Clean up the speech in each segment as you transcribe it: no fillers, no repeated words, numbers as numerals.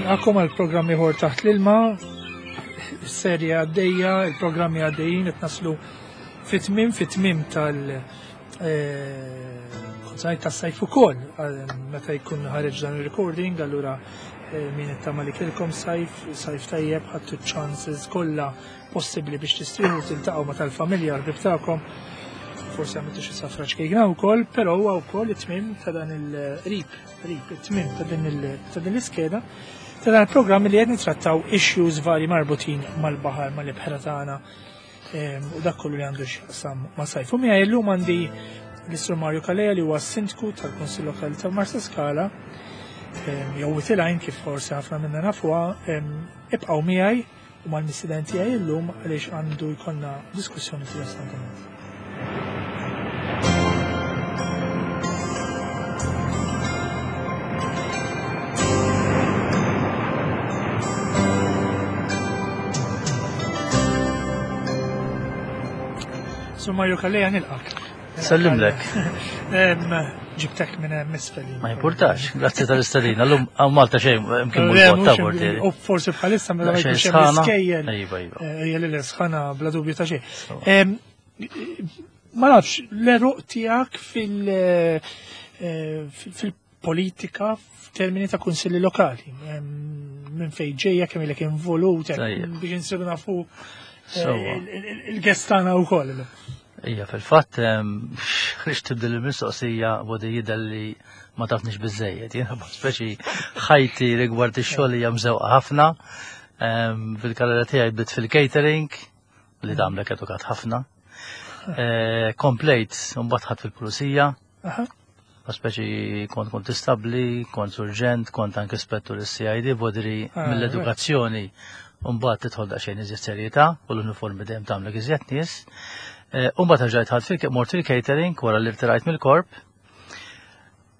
Nilqakom għal programm ieħor taħt l-ilma, serje għaddejja, il-programmi għaddejjin qed naslu fit-tmiem fit-tmiem tal- eh, kont tas-sajf ukoll meta jkun ħareġ dan il-recording, allura eh, min ittama li kilkom sajf, sajf tajjeb, ħadtu ċanses kollha possibbli biex tistrieħu tiltaqgħu ma' tal-familja l-ħbieb tagħkom. Forsi għamiltu xi safra ċkejkna wkoll, però huwa wkoll it-tmiem ta' dan il-qrib, qrib it-tmiem ta' din l-iskeda ta' dan il-programm li qed nittrattaw issues vari marbutin mal-baħar, mal-ibħra tagħna ehm, u dak kollu li għandu x'jaqsam ma' sajf. U miegħi llum għandi l-Sur Mario Kalea li huwa sindku tal-Kunsill Lokali ta' Marsa Skala ehm, jew Witilajn kif forsi ħafna minna nafuha, ehm, ibqgħu miegħi u mal-mistieden tiegħi llum għaliex għandu jkollna diskussjoni interessanti. Sur Mario Kalleja nilqak. Sellimlek. Ġibtek minn hemm isfel. Ma jimpurtax, grazzi tal-istadina. L-lum għaw Malta xejn, mkien mhux ta' portieri. U forsi bħalissa meta ma jkunx hemm iskejjel. Iva, iva. Eh, hija li sħana bla dubju ta' xejn. Ma nafx, l-eruq tiegħek fil- eh, fil-politika f'termini ta' kunsilli lokali. Minn fejn ġejja kemm ilek involut biex insiru nafu eh, il-gestana wkoll. Ija, fil-fatt, ħriġ tibdil il-mistoqsija bodi jidher li ma tafnix biżejjed. Jiena speċi ħajti rigward ix-xogħol hija mżewqa ħafna. Fil-karriera tiegħi bdiet fil-catering li tagħmlek edukat ħafna. Eh, komplejt, mbagħad ħadd fil-pulizija. Speċi kont kontistabbli, kont surġent, kont anke spettur is-CID, bodri ah, mill-edukazzjoni mbagħad tidħol daqsxejn iżjed serjetà u l-uniformi dejjem tagħmlek iżjed nies. Eh, u mbagħad rġajt ħadd fil mort fil-catering wara li rtirajt mill-korp.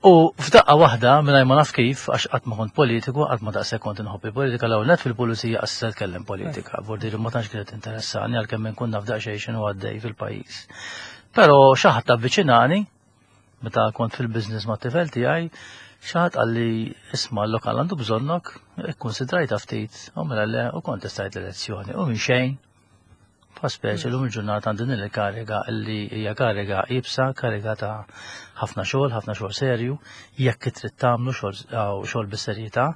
U f'daqqa waħda mingħajr ma naf kif għax qatt ma kont politiku, qatt ma daqshekk kont inħobb il-politika l net fil-pulizija qas se tkellem politika, vordi ma tantx kienet interessani għalkemm inkun naf daqsxejn x'inhu għaddej fil-pajjiż. Però xi ħadd avviċinani Meta kont fil-business ma' tifel tiegħi, xi ħadd qalli isma' l-lokal għandu bżonnok, ikkunsidrajta ftit, u mela le u kontestajt l-elezzjoni. U minn xejn, pa speċi l-lum il-ġurnata għandi din il-kariga li hija kariga ibsa, kariga ta' ħafna xogħol, ħafna xogħol serju, jekk trid tagħmlu xogħol bis-serjetà.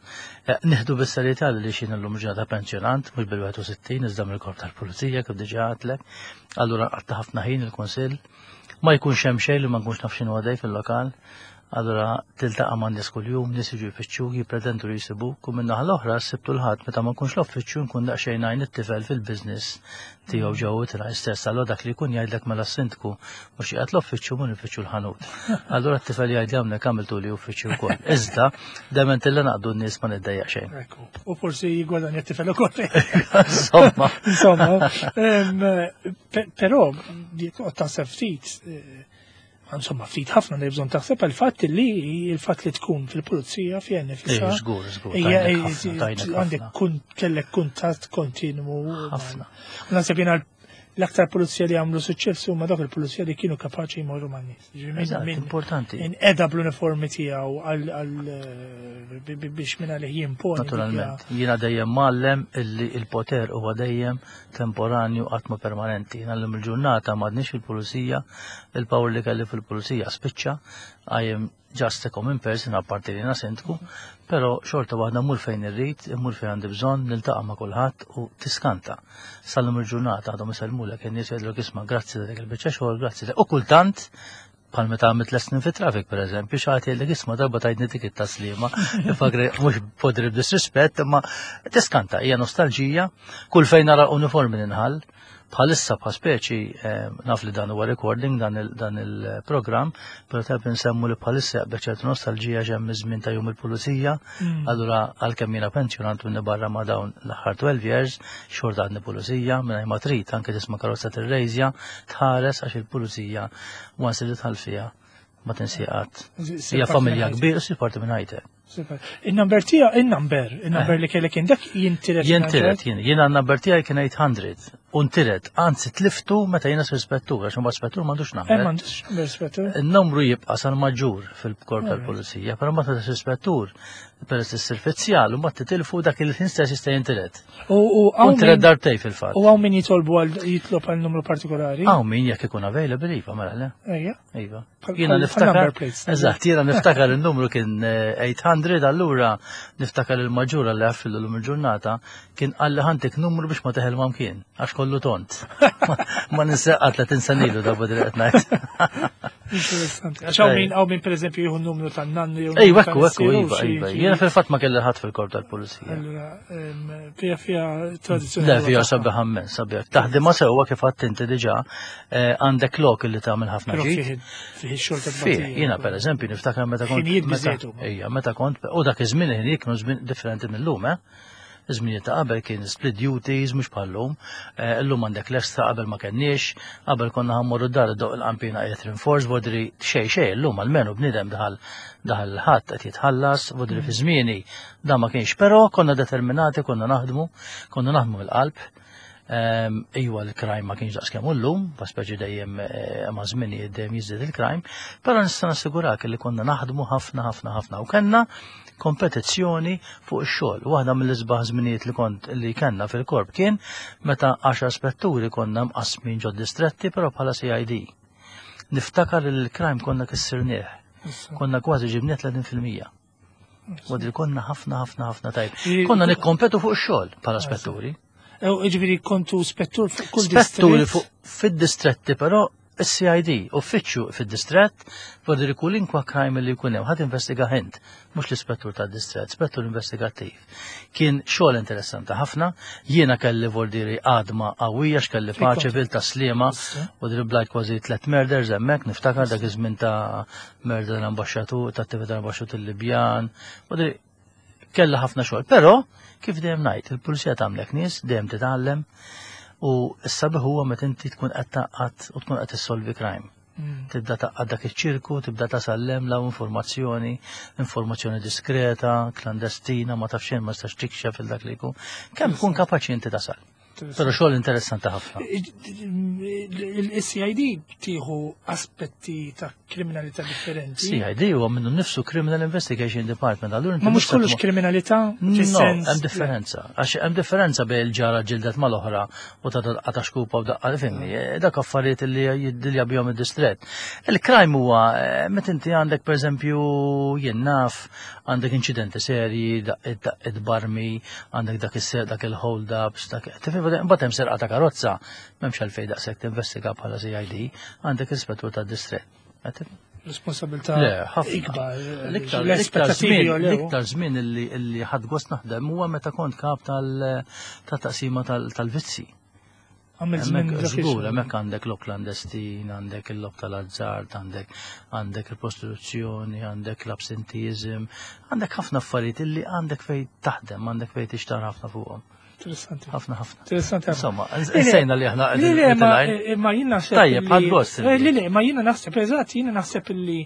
Eh, nieħdu bis-serjetà li xi illum ġurnata pensjonant, mhux bil-61 iżda mill-korp tal-pulizija kif diġà għadlek. Allura qatta ħafna ħin il-kunsill Ma jkunx hemm xejn li ma nkunx naf x'inhu għaddej fil-lokal. Allura tiltaqa' ma' nies kuljum, nies jiġu jfittxuk, jippretendu li jsibuk u min-naħa l-oħra s-Sibt u l-Ħadd meta ma nkunx l-uffiċċju nkun daqsxejn ngħin it-tifel fil-business tiegħu ġewwa tiegħi stess. Allura dak li jkun jgħidlek mela s-sindku mhux qiegħed l-uffiċċju mur nfittxu l-ħanut. Allura t-tifel jgħidli hawnhekk għamiltuli uffiċċju wkoll. Iżda dement illa naqdu n-nies ma niddejjaq xejn. U forsi jigwadanja t-tifel ukoll. Insomma. Insomma. Però, toqgħod taħseb ftit, eh, insomma, ftit ħafna li bżonn taħseb għal fatt li il-fatt li tkun fil-pulizija fi nifisha. Żgur, żgur. Għandek kun kellek kuntatt kontinwu. Ħafna. Naħseb jiena l-aktar pulizija li għamlu suċċess huma dawk il-pulizija li kienu kapaċi jmorru man-nies. Importanti. Inqeda bl-uniformi tiegħu għal eh, biex minn għalih jimponi. Naturalment. Jiena dejjem mgħallem illi il-poter huwa dejjem temporanju qatt ma permanenti. Jiena llum il-ġurnata m'għadniex fil-pulizija, il-power li kelli fil-pulizija spiċċa, I am just a common person apparti li sindku, però xorta waħda mmur fejn irrid, immur fejn għandi bżonn, niltaqa' ma' kulħadd u tiskanta. Sal-lum il-ġurnata għadhom isellmulek in-nies jgħidlek isma' grazzi ta' dik il-biċċa xogħol, grazzi. U kultant bħal meta għamilt l snin fit traffic per eżempju, xi ħadd jgħidlek isma' darba tajtni dik it-taslima, ifakri mhux podri b'disrispett, imma tiskanta, hija nostalġija, kull fejn nara uniformi ninħall, bħalissa bħal speċi eh, naf li dan huwa recording dan il-programm, però tajb insemmu li bħalissa jaqbel ċertu nostalġija ġemm iż-żmien ta' jum il-pulizija, mm. allura għalkemm jiena pensjonant minni barra ma' dawn l-aħħar 12 years, xorta għadni pulizija, minn ma trid anke tisma' karozza tirrejżja, tħares għax il-pulizija once li tħall fiha ma tinsi qatt. Hija familja kbira, si parti minn ħajtek. Super. Il-number tija, il-number, il-number li kellek dak jintiret. Jintiret, jien. Jiena n-number tiegħi kien 800. U ntiret, anzi tliftu meta jiena spettur, għax mbagħad spettur m'għandux Eh, number. m'għandux number spettur. Il-numru jibqa' sal-maġġur fil-korp tal-pulizija, però meta ssir spettur, peress li ssir fizzjal, u mbagħad titilfu dak il-ħin stess jista' jintiret. U U hawn ntiret min- darbtej fil-fatt. u hawn min jitolbu għal jitlob għal numru partikolari. Hawn min jekk ikun available iva, mela le. Ejja. Iva. Bħal- Jiena bħal- niftakar. bħal number plates. Eżatt, jiena niftakar il-numru kien 800, allura niftakar il-maġġura li għaffillu l il-ġurnata kien qalli ħantik numru biex ma teħel ma kien, għax kollu tont. Ma ninseqqa 30 senilu da badri qed ngħid. Interessanti. Għax hawn min hawn min pereżempju jieħu n-numru tan-nannu jew Ej, numru ekku, ekku, tal-missieru, iva, xi- iva. xi- Jiena fil-fatt ma kelli ħadd fil-korp tal-pulizija. Allura, fija fija tradizzjoni. Le, fija sabiħ ammen, sabiħ. Taħdima sewwa kif għadt inti diġà, għandek lok li tagħmel ħafna Però ġid. fih fih ix-xogħol ta' Fih, tbatija. jiena per eżempju niftakar meta kont. Ħinijiet meta- biżejjed huma. Ejja, meta kont, u dak iż-żmien ħinijiet kienu żmien differenti mill-lum, eh? Iż-żminijiet ta' qabel kien split duties, mhux bħal-lum. Illum għandek l-extra qabel ma kenniex, qabel konna ħammorru d-dar doq il-qampina qiegħed rinforce, vodri xejn xejn illum almenu bniedem daħal daħal ħadd qed jitħallas, vodri fi żmieni da ma kienx, però konna determinati, konna naħdmu, konna naħdmu mill-qalb. Iwa l-crime ma kienx daqs kemm llum, pa speċi dejjem ma' żmien dejjem jiżdied il-crime, però nista' nassigurak li konna naħdmu ħafna ħafna ħafna u kellna kompetizzjoni fuq ix-xogħol. Waħda mill-isbaħ żminijiet li kont li kellna fil-korp kien meta 10 spetturi konna mqasmin ġod distretti però bħala CID. Niftakar li l-crime konna kissirnieh, Issa. konna kważi ġibnieh 30%. Wadri konna ħafna ħafna ħafna tajb. Ġifieri- Konna nikkompetu fuq ix-xogħol bħala spetturi. Ew, Ġifieri kontu spettur fuq kull Spetturi distrett. fuq fid-distretti però is-CID, uffiċċju fid-distrett, vodri kulinkwa crime li jkun hemm, ħadd investiga ħint, mhux l-ispettur tad-distrett, spettur investigattiv. Kien xogħol interessanti ħafna, jiena kelli vordiri għadma qawwija x'kelli paċe kont? vil ta' sliema, Issa. u driblajt kważi tlet murders hemmhekk, niftakar dak iż-żmien ta' murder l-ambaxxatur, ta' attività l-ambaxxatur il-Libjan, u kella ħafna xogħol. Però kif dejjem ngħid, il-pulizija tagħmlek nies, dejjem titgħallem u s-sabiħ huwa meta inti tkun qed taqgħad u tkun qed tissolvi crime. Tibda taqgħad dak iċ-ċirku, tibda tasallem law informazzjoni, informazzjoni diskreta, klandestina, ma tafx xejn ma tistax tikxef il dak li jkun. Kemm tkun kapaċi inti tasal. Però xogħol interessanti ħafna. Il-CID tieħu aspetti ta' kriminalità differenti. CID huwa minnu nnifsu Criminal Investigation Department. Allura inti Ma mhux tista' kollox tmur- kriminalità No, fis-sens. hemm differenza. Għax hemm differenza bejn il-ġara ġildet mal-oħra u ta' daqqa ta' xkupa u daqqa fimni, dak affarijiet li jiddilja bihom id-distret. Il-crime huwa meta inti għandek pereżempju jien naf, għandek inċidenti serji, daqqiet barmi, għandek dak is dak il-hold-ups, dak tifhem imbagħad hemm serqa ta' karozza, m'hemmx għalfejn daqshekk tinvestiga bħala CID, għandek ispettur tad-distret. Qed tifhem? Responsabilità Le, ħafna. ikbar. L-iktar l-iktar L-aspettativi żmien, jolew. l-iktar żmien illi ħadd gost naħdem huwa meta kont kap tal-taqsima tal-vizzi. Għamil żmien Hemmhekk dak żgur, ix-xogħol. hemmhekk għandek lok klandestin, għandek il-lok tal-azzard, għandek għandek il-prostituzzjoni, għandek l-absentizm, għandek ħafna affarijiet illi għandek fejn taħdem, għandek fejn tixtar ħafna fuqhom. Interessanti. Ħafna ħafna. Interessanti ħafna. Insomma, insejna li aħna Le, le, ma, qegħdin ma jien naħseb. Tajjeb, li- ħadd gost Le, le, ma jiena naħseb, eżatt, jiena naħseb li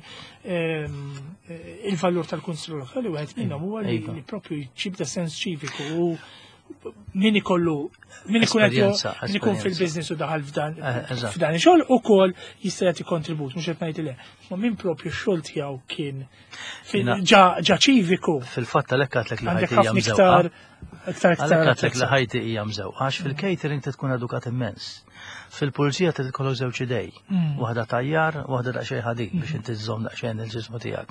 il-valur tal-Kunsill Lokali wieħed minnhom huwa li Iva. li propju jġib da sens ċiviku u min ikollu min ikun qed Esperjenza, min ikun esperjenza. fil-business u daħal f'dan Eżatt. f'dan ix-xogħol ukoll jista' jagħti kontribut, mhux qed ngħid le. Ma min propju x-xogħol tiegħu kien Jiena- ġa ċiviku Fil-fatt għalhekk għatlek li għandek ħajti hija ħafna mżewqa. iktar iktar iktar Għalhekk għatlek li attrezza. ħajti hija mżewqa, għax fil-catering tkun edukat immens. Fil-pulizija titkollok żewġ idej, waħda tajjar, waħda daqsxejn ħadid biex inti żżomm daqsxejn il-ġismu tiegħek.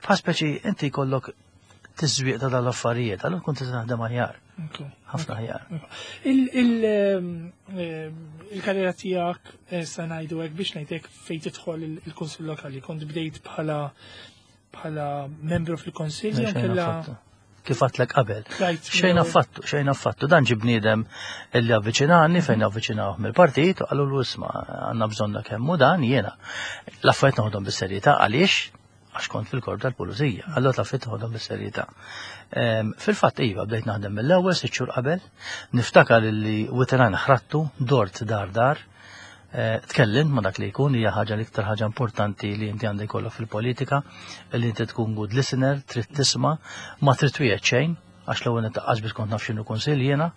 Bħal speċi inti jkollok tiżwieq ta' dal-affarijiet, allura tkun tista' taħdem aħjar, ħafna aħjar. Il-karriera tiegħek sa ngħidu hekk biex ngħidlek fejn tidħol il-Kunsill Lokali, kont bdejt bħala bħala membru fil-Konsill jew Xejn kellha affattu. Kif għatlek qabel. tlajt Xejn affattu, xejn affattu. Dan ġi bniedem illi avviċinani fejn avviċinawh mill-partit u qalu l isma' għandna bżonna kemm hu dan jiena. L-affarijiet noħodhom bis-serjetà għaliex għax kont fil-korp tal-pulizija. Allura l-affarijiet noħodhom bis-serjetà. Fil-fatt iva bdejt naħdem mill-ewwel sitt xhur qabel, niftakar illi witeran ħrattu, dort dar dar, Tkellimt ma' dak li jkun hija ħaġa l-iktar ħaġa importanti li inti għandek jkollok fil-politika, li inti tkun good listener, trid tisma', ma trid twiegħed xejn, għax l-ewwel nitaqqas biex kont naf x'inhu kunsill jiena.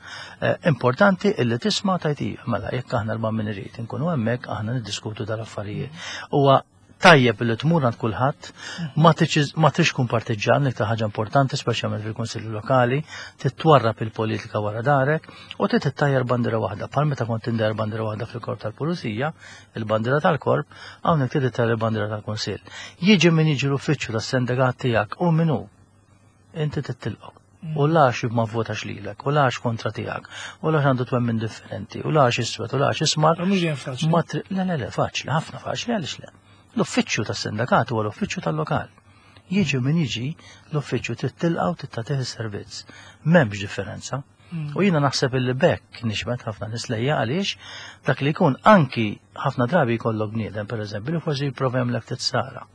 Importanti illi tisma' tajt iva, mela jekk aħna l min irid inkunu hemmhekk aħna niddiskutu dal-affarijiet. Huwa tajjeb li tmur għand kulħadd, ma trix tkun partiġġan l-iktar ħaġa importanti, speċjalment fil-Kunsilli Lokali, titwarrab il-politika wara darek u trid ittajjar bandiera waħda. Bħal meta kont indajjar bandiera waħda fil-korp tal-Pulizija, il-bandiera tal-korp, hawnhekk trid ittajjar il-bandiera tal-Kunsill. Jiġi min jiġi l-uffiċċju tas-sendegat tiegħek u min hu, inti tittilqgħu. U lax ma votax lilek, u lax kontra tiegħek, u lax għandu twemmin differenti, u lax iswed, u lax ismar. Mhux dejjem faċli. Ma Le, le, le, faċli, ħafna faċli, għaliex le. L-uffiċċju tas-sindakat huwa l-uffiċċju tal-lokal. Jiġi min jiġi, l-uffiċċju trid tilqa' u trid tagħtih is-servizz. M'hemmx differenza. U jiena naħseb illi bekk nixbet ħafna nies lejja għaliex dak li jkun anki ħafna drabi jkollok bniedem, pereżempju, li forsi jipprova jagħmlek titsara.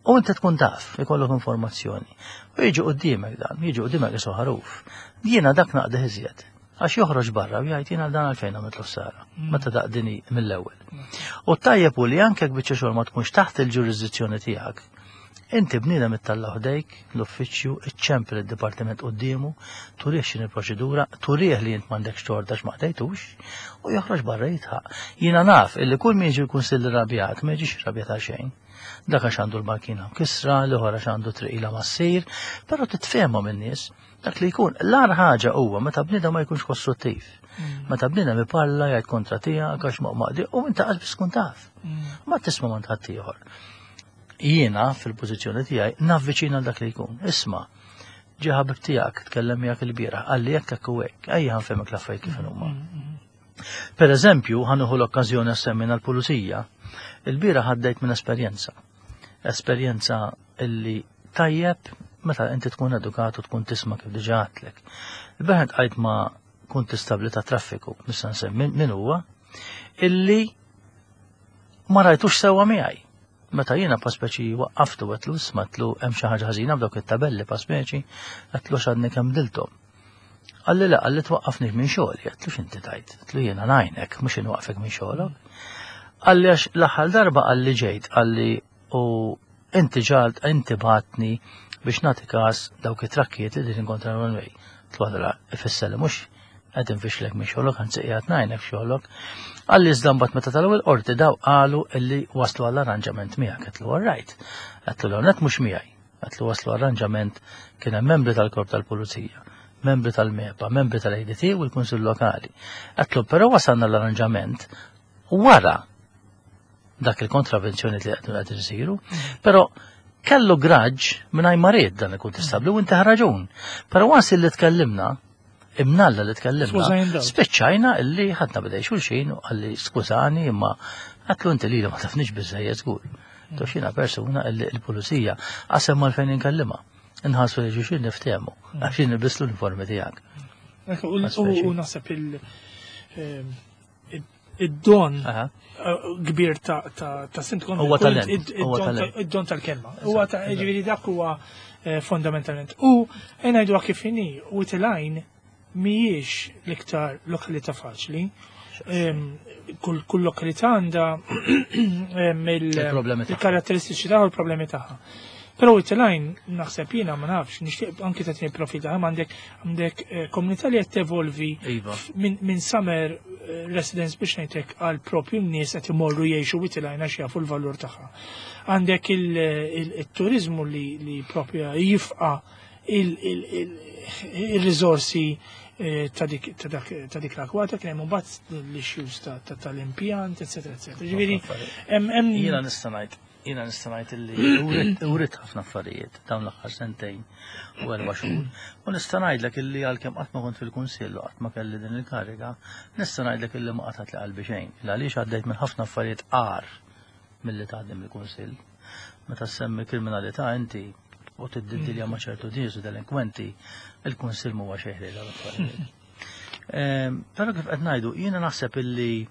U inti tkun taf, ikollok informazzjoni. U jiġi quddiemek dan, jiġi quddiemek isu ħaruf. Jiena dak naqdih iżjed. Għax joħroġ barra u jgħid jiena dan għalfejn għamiltlu ħsara. Meta daqdini mill-ewwel. U tajjeb u li anke jekk biċċa xogħol ma tkunx taħt il-ġurisdizzjoni tiegħek, inti bniedem ittalla ħdejk l-uffiċċju, iċċempel id-dipartiment quddiemu, turih x'inhi l-proċedura, turih li int m'għandekx tort għax ma qdejtux, u joħroġ barra jitħaq. Jiena naf illi kull min jiġi l-kunsill irrabjat ma jiġix irrabjat għal xejn. Dak għax għandu l-bankina mkissra, l-ieħor għax għandu triqila ma ssir, però titfehmhom in-nies. Dak li jkun, l-agħar ħaġa huwa meta bniedem ma jkunx kostruttiv. Meta bniedem iparla jgħid kontra tiegħek għax ma maqdi u inti qas biss tkun taf. Ma tisma' ma ħadd ieħor. Jiena fil-pożizzjoni tiegħi navviċina dak li jkun. Isma' ġie ħabib tiegħek tkellem miegħek il-bieraħ, qalli hekk hekk u hekk, ejja ħa nfehmek l-affarijiet kif huma. Per eżempju, ħa nieħu l-okkażjoni semmejna l-pulizija. Il-bieraħ għaddejt minn esperjenza. Esperjenza illi tajjeb meta inti tkun edukat u tkun tisma' kif diġà għedtlek. Il-bieraħ għajt ma' kuntistabbli ta' traffiku, nista' nsemmi min huwa, illi ma rajtux sewwa miegħi. Meta jiena pa speċi waqqaftu għedtlu isma' għedtlu hemm xi ħaġa ħażina b'dawk it-tabelli pa speċi għedtlu x'għadni kemm dilthom. Qalli le, qalli twaqqafni minn xogħli, għedtlu x'inti tajt, għedtlu jiena ngħinek, mhux inwaqqfek minn xogħolok. Qalli għax l-aħħar darba qalli ġejt, qalli u inti ġalt, inti batni biex nagħti każ dawk it-trakkijiet li din kontra l-one way. Twadra, ifisser li mhux qed infixlek minn xogħlok, anzi qiegħed ngħinek f'xogħlok. Qalli iżda mbagħad meta tal-ewwel qorti daw qalu illi waslu għall-arranġament miegħek, għedtlu all right. Għedtlu l-ewwel mhux miegħi. Għatlu waslu arranġament kien hemm membri tal-Korp tal-Pulizija, membri tal-MEPA, membri tal-ADT u l-Kunsill Lokali. Għatlu però wasalna l-arranġament wara dak il-kontravenzjoni li qed qed isiru, però kellu graġġ mingħajr ma ried dan il-kuntistabbli u inti raġun. Però once li tkellimna, imnalla li tkellimna, spiċċajna illi ħadna bidej xulxin u qalli skużani imma għatlu inti li ma tafniex biżejjed żgur. Toxina persuna illi l-pulizija qasem mal fejn inkellima. Inħassu li xulxin niftehmu għax jien nilbis l-uniformi tiegħek. U naħseb id-don kbir ta' sindku Huwa talent. Id-don tal-kelma. Huwa ta' ġifieri dak huwa fondamentalment. U ngħidu kif inhi u tilajn mhijiex l-iktar lokalità faċli. Kull lokalità għandha il-karatteristiċi tagħha u l-problemi tagħha. Però it-tilajn naħseb jiena ma nafx, nixtieq anki tagħtini profil tagħha għandek għandek komunità li qed tevolvi Iva. minn summer residence biex ngħidlek għal propju n-nies qed imorru jgħixu it-tilajn għax jafu l-valur tagħha. Għandek il-turizmu li propju jifqa il-riżorsi ta' dik l-akwata, kien hemm imbagħad l-issues tal-impjant, eccetera, eccetera. Ġifieri, hemm Jiena nista' ngħid, jiena nista' ngħid illi urit ħafna affarijiet dawn l-aħħar sentejn u 4 xhur. U nista' ngħidlek illi għalkemm qatt ma kont fil-kunsill u qatt ma kelli din il-kariga, nista' ngħidlek illi ma qatgħet li qalbi xejn. Għaliex għaddejt minn ħafna affarijiet agħar milli taħdem il-kunsill. Meta semmi kriminalità inti u tiddilja ma' ċertu nies u delinkwenti, il-kunsill m'huwa xejn ħliel għal affarijiet. Però kif qed ngħidu, jiena naħseb illi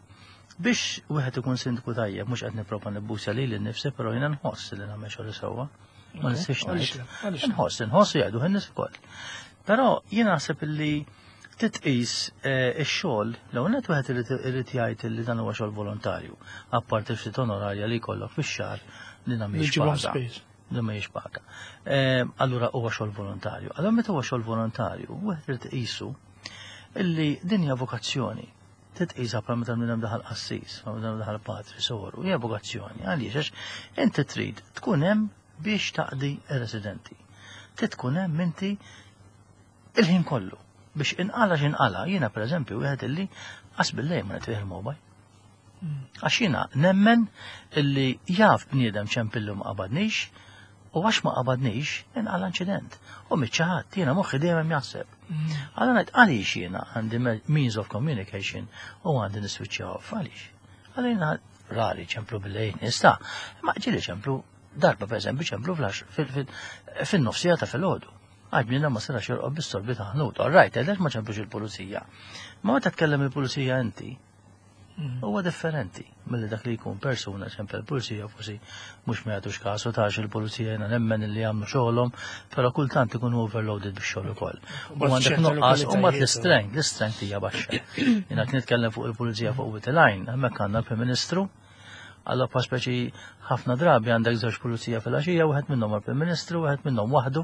biex wieħed ikun sindku tajjeb, mhux qed nipprova nibbusa lili nnifsi, però jiena nħoss li nagħmel xogħol sewwa. Ma nistax ngħid. Nħoss, nħoss jgħidu in-nies ukoll. Però jiena naħseb illi Titqis eh, ix-xogħol, l-ewwel nett wieħed irid jgħid li dan huwa xogħol volontarju, apparti ftit onorarja li jkollok fix-xahar li mhijiex paga. Li mhijiex paga. Eh, allura huwa xogħol volontarju. Allura meta huwa xogħol volontarju, wieħed irid iqisu illi din hija vokazzjoni. Titqisha bħal meta bniedem daħal qassis, bħal meta daħal patri, soru, hija vokazzjoni. Għaliex għax inti trid tkun hemm biex taqdi r-residenti. Trid tkun hemm inti Il-ħin kollu. Biex inqala x'inqala, jiena pereżempju wieħed illi qas billejl ma nitfih il-mobile. Għax jiena nemmen illi jaf bniedem ċempillu ma qabadnix u għax ma qabadnix inqala inċident. U miċ-ċaħat, jiena moħħi dejjem hemm jaħseb. Allura ngħid għaliex jiena għandi means of communication u għandi niswiċċja off, għaliex? Għaliex jiena rari ċemplu billejl nista', ma ġieli ċemplu darba pereżempju ċemplu fin-nofsija ta' filgħodu. Għax bniedem ma setax jorqod bis-sorbi ta' ħnut. All right, għalhekk ma ċemplux il-pulizija. Ma meta tkellem il-pulizija inti, mm. huwa differenti milli dak li jkun persuna ċempel il-pulizija forsi mhux ma jagħtux kasu tax il-pulizija jiena nemmen li jagħmlu xogħolhom, però kultant ikunu overloaded bix-xogħol ukoll. U għandek nuqqas u mbagħad l-istrength, l-istrength hija baxxa. Jiena nitkellem fuq il-pulizija fuq Witilajn, hemmhekk għandna l-Prim Ministru, Allora pa speċi ħafna drabi għandek żewġ pulizija fil-għaxija, wieħed minnhom għall-Prim Ministru, wieħed minnhom waħdu.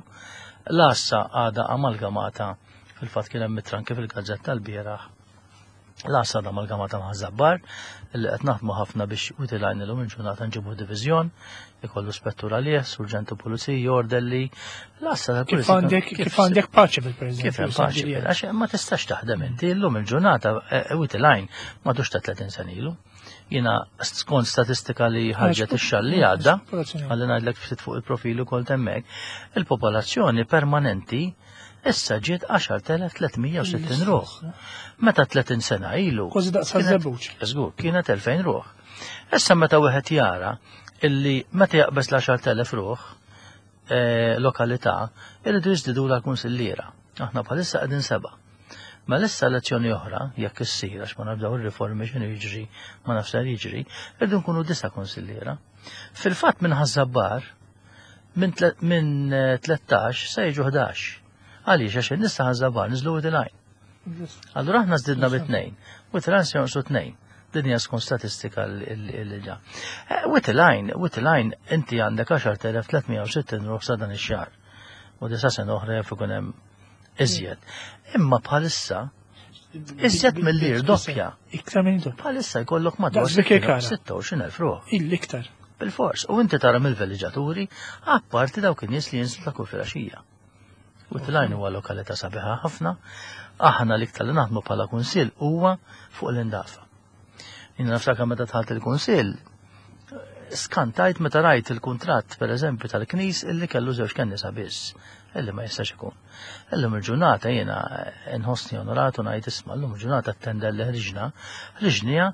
L-għassa għadha amalgamata fil-fatt kien hemm mitranki fil-gazzetta l-bieraħ. L-għassa għadha amalgamata ma' Żabbar li qed naħdmu ħafna biex utilajn illum il-ġurnata nġibu diviżjon, ikollu spettur għalih, surġentu pulizija, ordelli. L-għassa tal-pulizija. Kif għandek paċi fil-preżent. Kif hemm paċi, għax ma tistax taħdem inti llum il-ġurnata eh, utilajn madux ta' 30 sena ilu. Jiena skont statistika li ħarġet ix-xahar li għadda, għalli ngħidlek ftit fuq il-profil ukoll temmek, il-popolazzjoni permanenti issa ġiet 10,360 ruħ. Meta 30 sena ilu. Kważi daqs żebbuġ. Żgur, kienet 2000 ruħ. Issa meta wieħed jara illi meta jaqbeż l-10,000 ruħ eh, lokalità, irridu jiżdidu l-kunsilliera. Aħna bħalissa qegħdin seba'. Mela issa elezzjoni oħra, jekk issir għax ma nafdaw ir-riformi x'inhu jiġri, ma nafx ser jiġri, irridu nkunu disa' kunsilliera. Fil-fatt minn Ħaż-Żabbar minn 13 eh, se jiġu 11. Għaliex għax in-nies ta' Ħaż-Żabbar niżlu Wied Allura aħna żdidna bi tnejn, u il se jonqsu tnejn. Din hija skont statistika li ġa. Eh, Wied il-Għajn, inti għandek 10,360 ruħ sa dan ix-xahar. U disa sena oħra jaf ikun hemm iżjed. Imma bħalissa iżjed mill-lir doppja. Iktar minn doppja. Bħalissa jkollok madwar 26,000 ruħ. Il-iktar. Bil-fors. U inti tara mill-veliġaturi, apparti dawk in-nies li jinżlu ta' kull filgħaxija. U Tilajn huwa lokalità sabiħa ħafna. Aħna l-iktar li naħdmu bħala kunsill huwa fuq l-indafa. Jien naftakar meta dħalt il-kunsill, skantajt meta rajt il-kuntratt per eżempju tal-knis illi kellu żewġ kennisa biss, illi ma jistax ikun. Illum il-ġurnata jiena nħossni onorat u ngħid isma' llum il-ġurnata t-tender li ħriġna, ħriġniha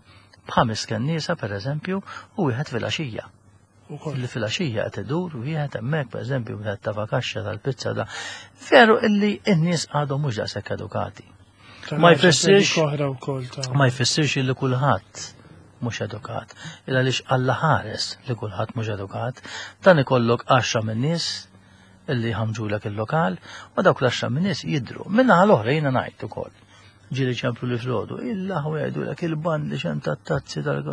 b'ħames kennisa per eżempju u wieħed filgħaxija. Li filgħaxija qed idur wieħed hemmhekk per eżempju wieħed ta' kaxxa tal-pizza da. Veru illi n-nies għadhom mhux daqshekk edukati. Ma jfissirx ma jfissirx li kulħadd mhux edukat. Illa għaliex Alla ħares li kulħadd mhux edukat, dan ikollok 10 min-nies illi jħamġulek il-lokal u dawk l-10 min-nies jidhru. Min-naħa l-oħra jiena ngħid ukoll. Ġieli ċemplu li filgħodu, il-laħwa jgħidulek il-band li xem tat-tazzi tal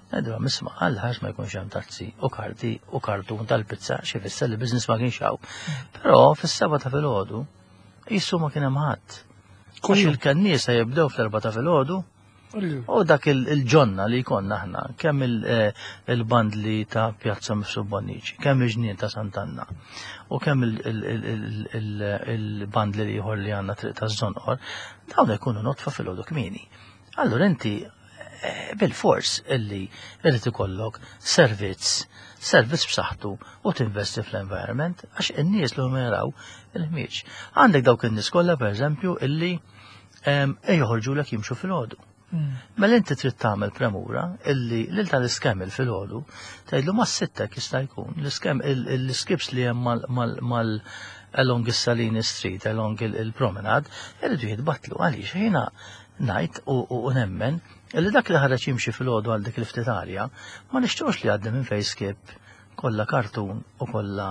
Ngħidu isma' Alla ħares ma jkunx hemm tazzi u karti u kartun tal-pizza xi fisser li business ma kienx hawn. Però fis-seba' ta' filgħodu Jissu ma kien hemm ħadd. Għax il-kenniesa jibdew fl-erba ta' filgħodu u dak il-ġonna li jkollna aħna, kemm eh, il-bandli ta' Pjazza Mifsud Bonnici, kemm il-ġnien ta' Sant'Anna u kemm il-bandli li ieħor li għandna triq ta' Żonqor, dawn ikunu notfa filgħodu kmieni. Allura inti bil-fors illi irid ikollok servizz, servizz b'saħħtu u tinvesti fl-environment għax in-nies li huma jaraw il-ħmieġ. Għandek dawk in-nies kollha pereżempju illi joħorġulek jimxu filgħodu. Hmm. Mela inti trid tagħmel premura illi lil tal-iskemil filgħodu tgħidlu ma' sittek jista' jkun l-iskem l-skips li hemm mal along is-Salini Street, along il-promenade, irridu jitbatlu għaliex jiena Ngħid u nemmen li dak li ħareġ jimxi filgħodu għal dik il-ftit arja ma nixtiequx li jgħaddi minn fejn skip Kollha kartun u kollha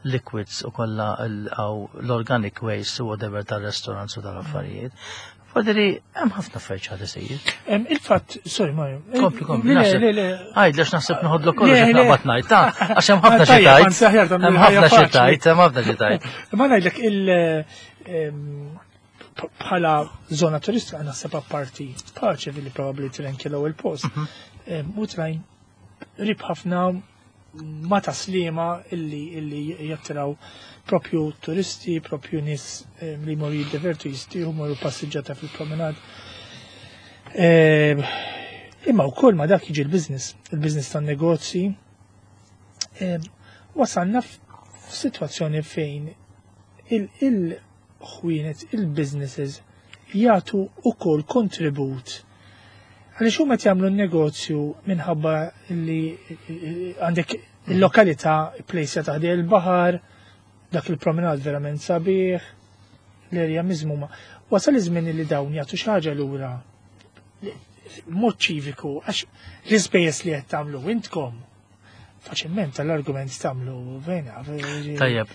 liquids u kollha l-organic waste u whatever tal-restaurants u tal-affarijiet. Fadili, hemm ħafna affarijiet ħad isir. Il-fatt, sorry Mario. Kompli, kompli. Le, le, le. Għajd, lex naħseb noħodlok kollox naqbad ngħid, ta' għax hemm ħafna xi tajt. Hemm ħafna xi tajt, hemm ħafna xi tajt. Ma ngħidlek il- bħala zona turistika naħseb apparti paċe li probabbli trenki l-ewwel post. U trajn rib ħafna ma taslima illi illi jattiraw propju turisti, propju nies li jmorru jiddevertu jistieħu, morru passiġġata fil-promenad. Imma wkoll ma dak jiġi l-business, il-business tan-negozji. Wasalna f'sitwazzjoni fejn il-ħwienet, il-businesses jagħtu ukoll kontribut. Għaliex huma qed jagħmlu n-negozju minħabba li għandek il-lokalità plejsja taħdej il-baħar, dak il-promenad verament sabiħ, l-erja miżmuma. Wasal iż-żmien li dawn jagħtu xi ħaġa lura mod ċiviku, għax l-ispejjeż li qed tagħmlu intkom faċilment tal-argument tagħmlu vena. Tajjeb,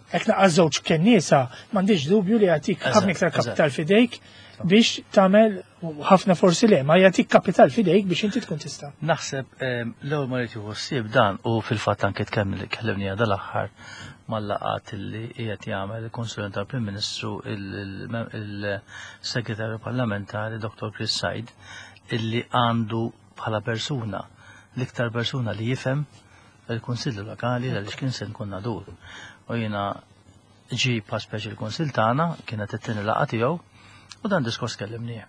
Hekk naqas żewġ kenniesa, m'għandix dubju li jagħtik ħafna iktar kapital fidejk biex tagħmel ħafna forsi le, ma jagħtik kapital fidejk biex inti tkun tista'. Naħseb l-ewwel ma rrid jieħu ħsieb dan u fil-fatt anke tkellimni dal-aħħar mal-laqgħat li qiegħed jagħmel il-Konsulent tal-Prim Ministru il-Segretarju Parlamentari Dr. Chris Said illi għandu bħala persuna l-iktar persuna li jifhem il-Kunsilli Lokali għaliex kien se nkun nadur. U jiena ġi pa speċi l-Kunsill tagħna kienet it-tieni laqgħa tiegħu u dan diskors kellimnieh.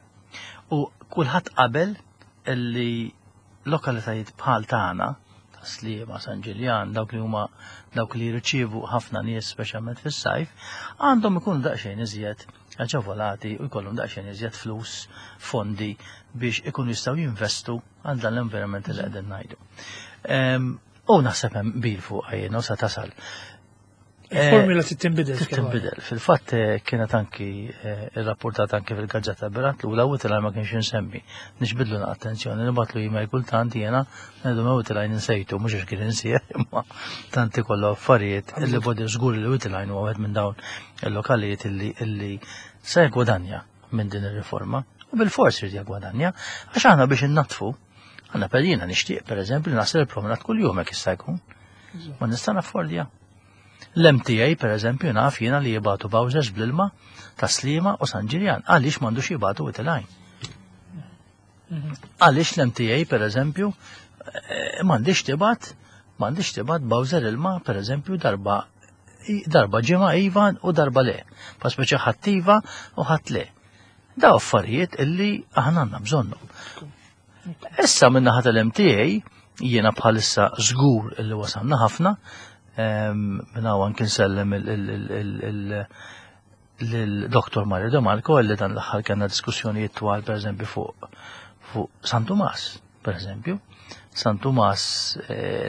U kulħadd qabel illi lokalitajiet bħal tagħna ta' Sliema, San Ġiljan, dawk li huma dawk li jirċievu ħafna nies speċjalment fis-sajf, għandhom ikunu daqsxejn iżjed aġevolati u jkollhom daqsxejn iżjed flus, fondi biex ikunu jistgħu jinvestu għal dan l-environment li qegħdin ngħidu. U naħseb hemm bil fuq jiena u sa tasal. Il-formula trid tinbidel. Trid tinbidel. Fil-fatt kienet anki irrapportat anki fil-gazzetta Berat l-ula u tilgħaj ma kienx insemmi. Nixbidlu attenzjoni, nibatlu email kultant jiena ngħidu ma tilgħaj insejtu mhux għax kien insieħ imma tant ikollu affarijiet illi bodi żgur li tilgħajn huwa wieħed minn dawn il-lokalijiet illi se jgwadanja minn din ir-riforma. U bil-fors irid jgwadanja għax aħna biex innatfu għandna per jiena nixtieq pereżempju naħsel il-promenat kuljum hekk jista' jkun. Ma nista' naffordja. L-MTA, per eżempju, naf jiena li jibatu bowsers bl-ilma ta' Sliema u San Ġiljan. Għaliex m'għandux jibatu Wied Għaliex l-MTA, per eżempju, m'għandix tibat, m'għandix tibat bowser ilma, per eżempju, darba darba ġimgħa iva u darba le. Pa speċi ħadd iva u ħadd le. Daw affarijiet illi aħna għandna bżonnhom. Issa minn naħa tal-MTA jiena bħalissa żgur illi wasalna ħafna, minn hawn anki nsellem lil-Dr. Mario De Marco illi dan l-aħħar kellna diskussjonijiet twal pereżempju fuq San Tumas, pereżempju. San Tumas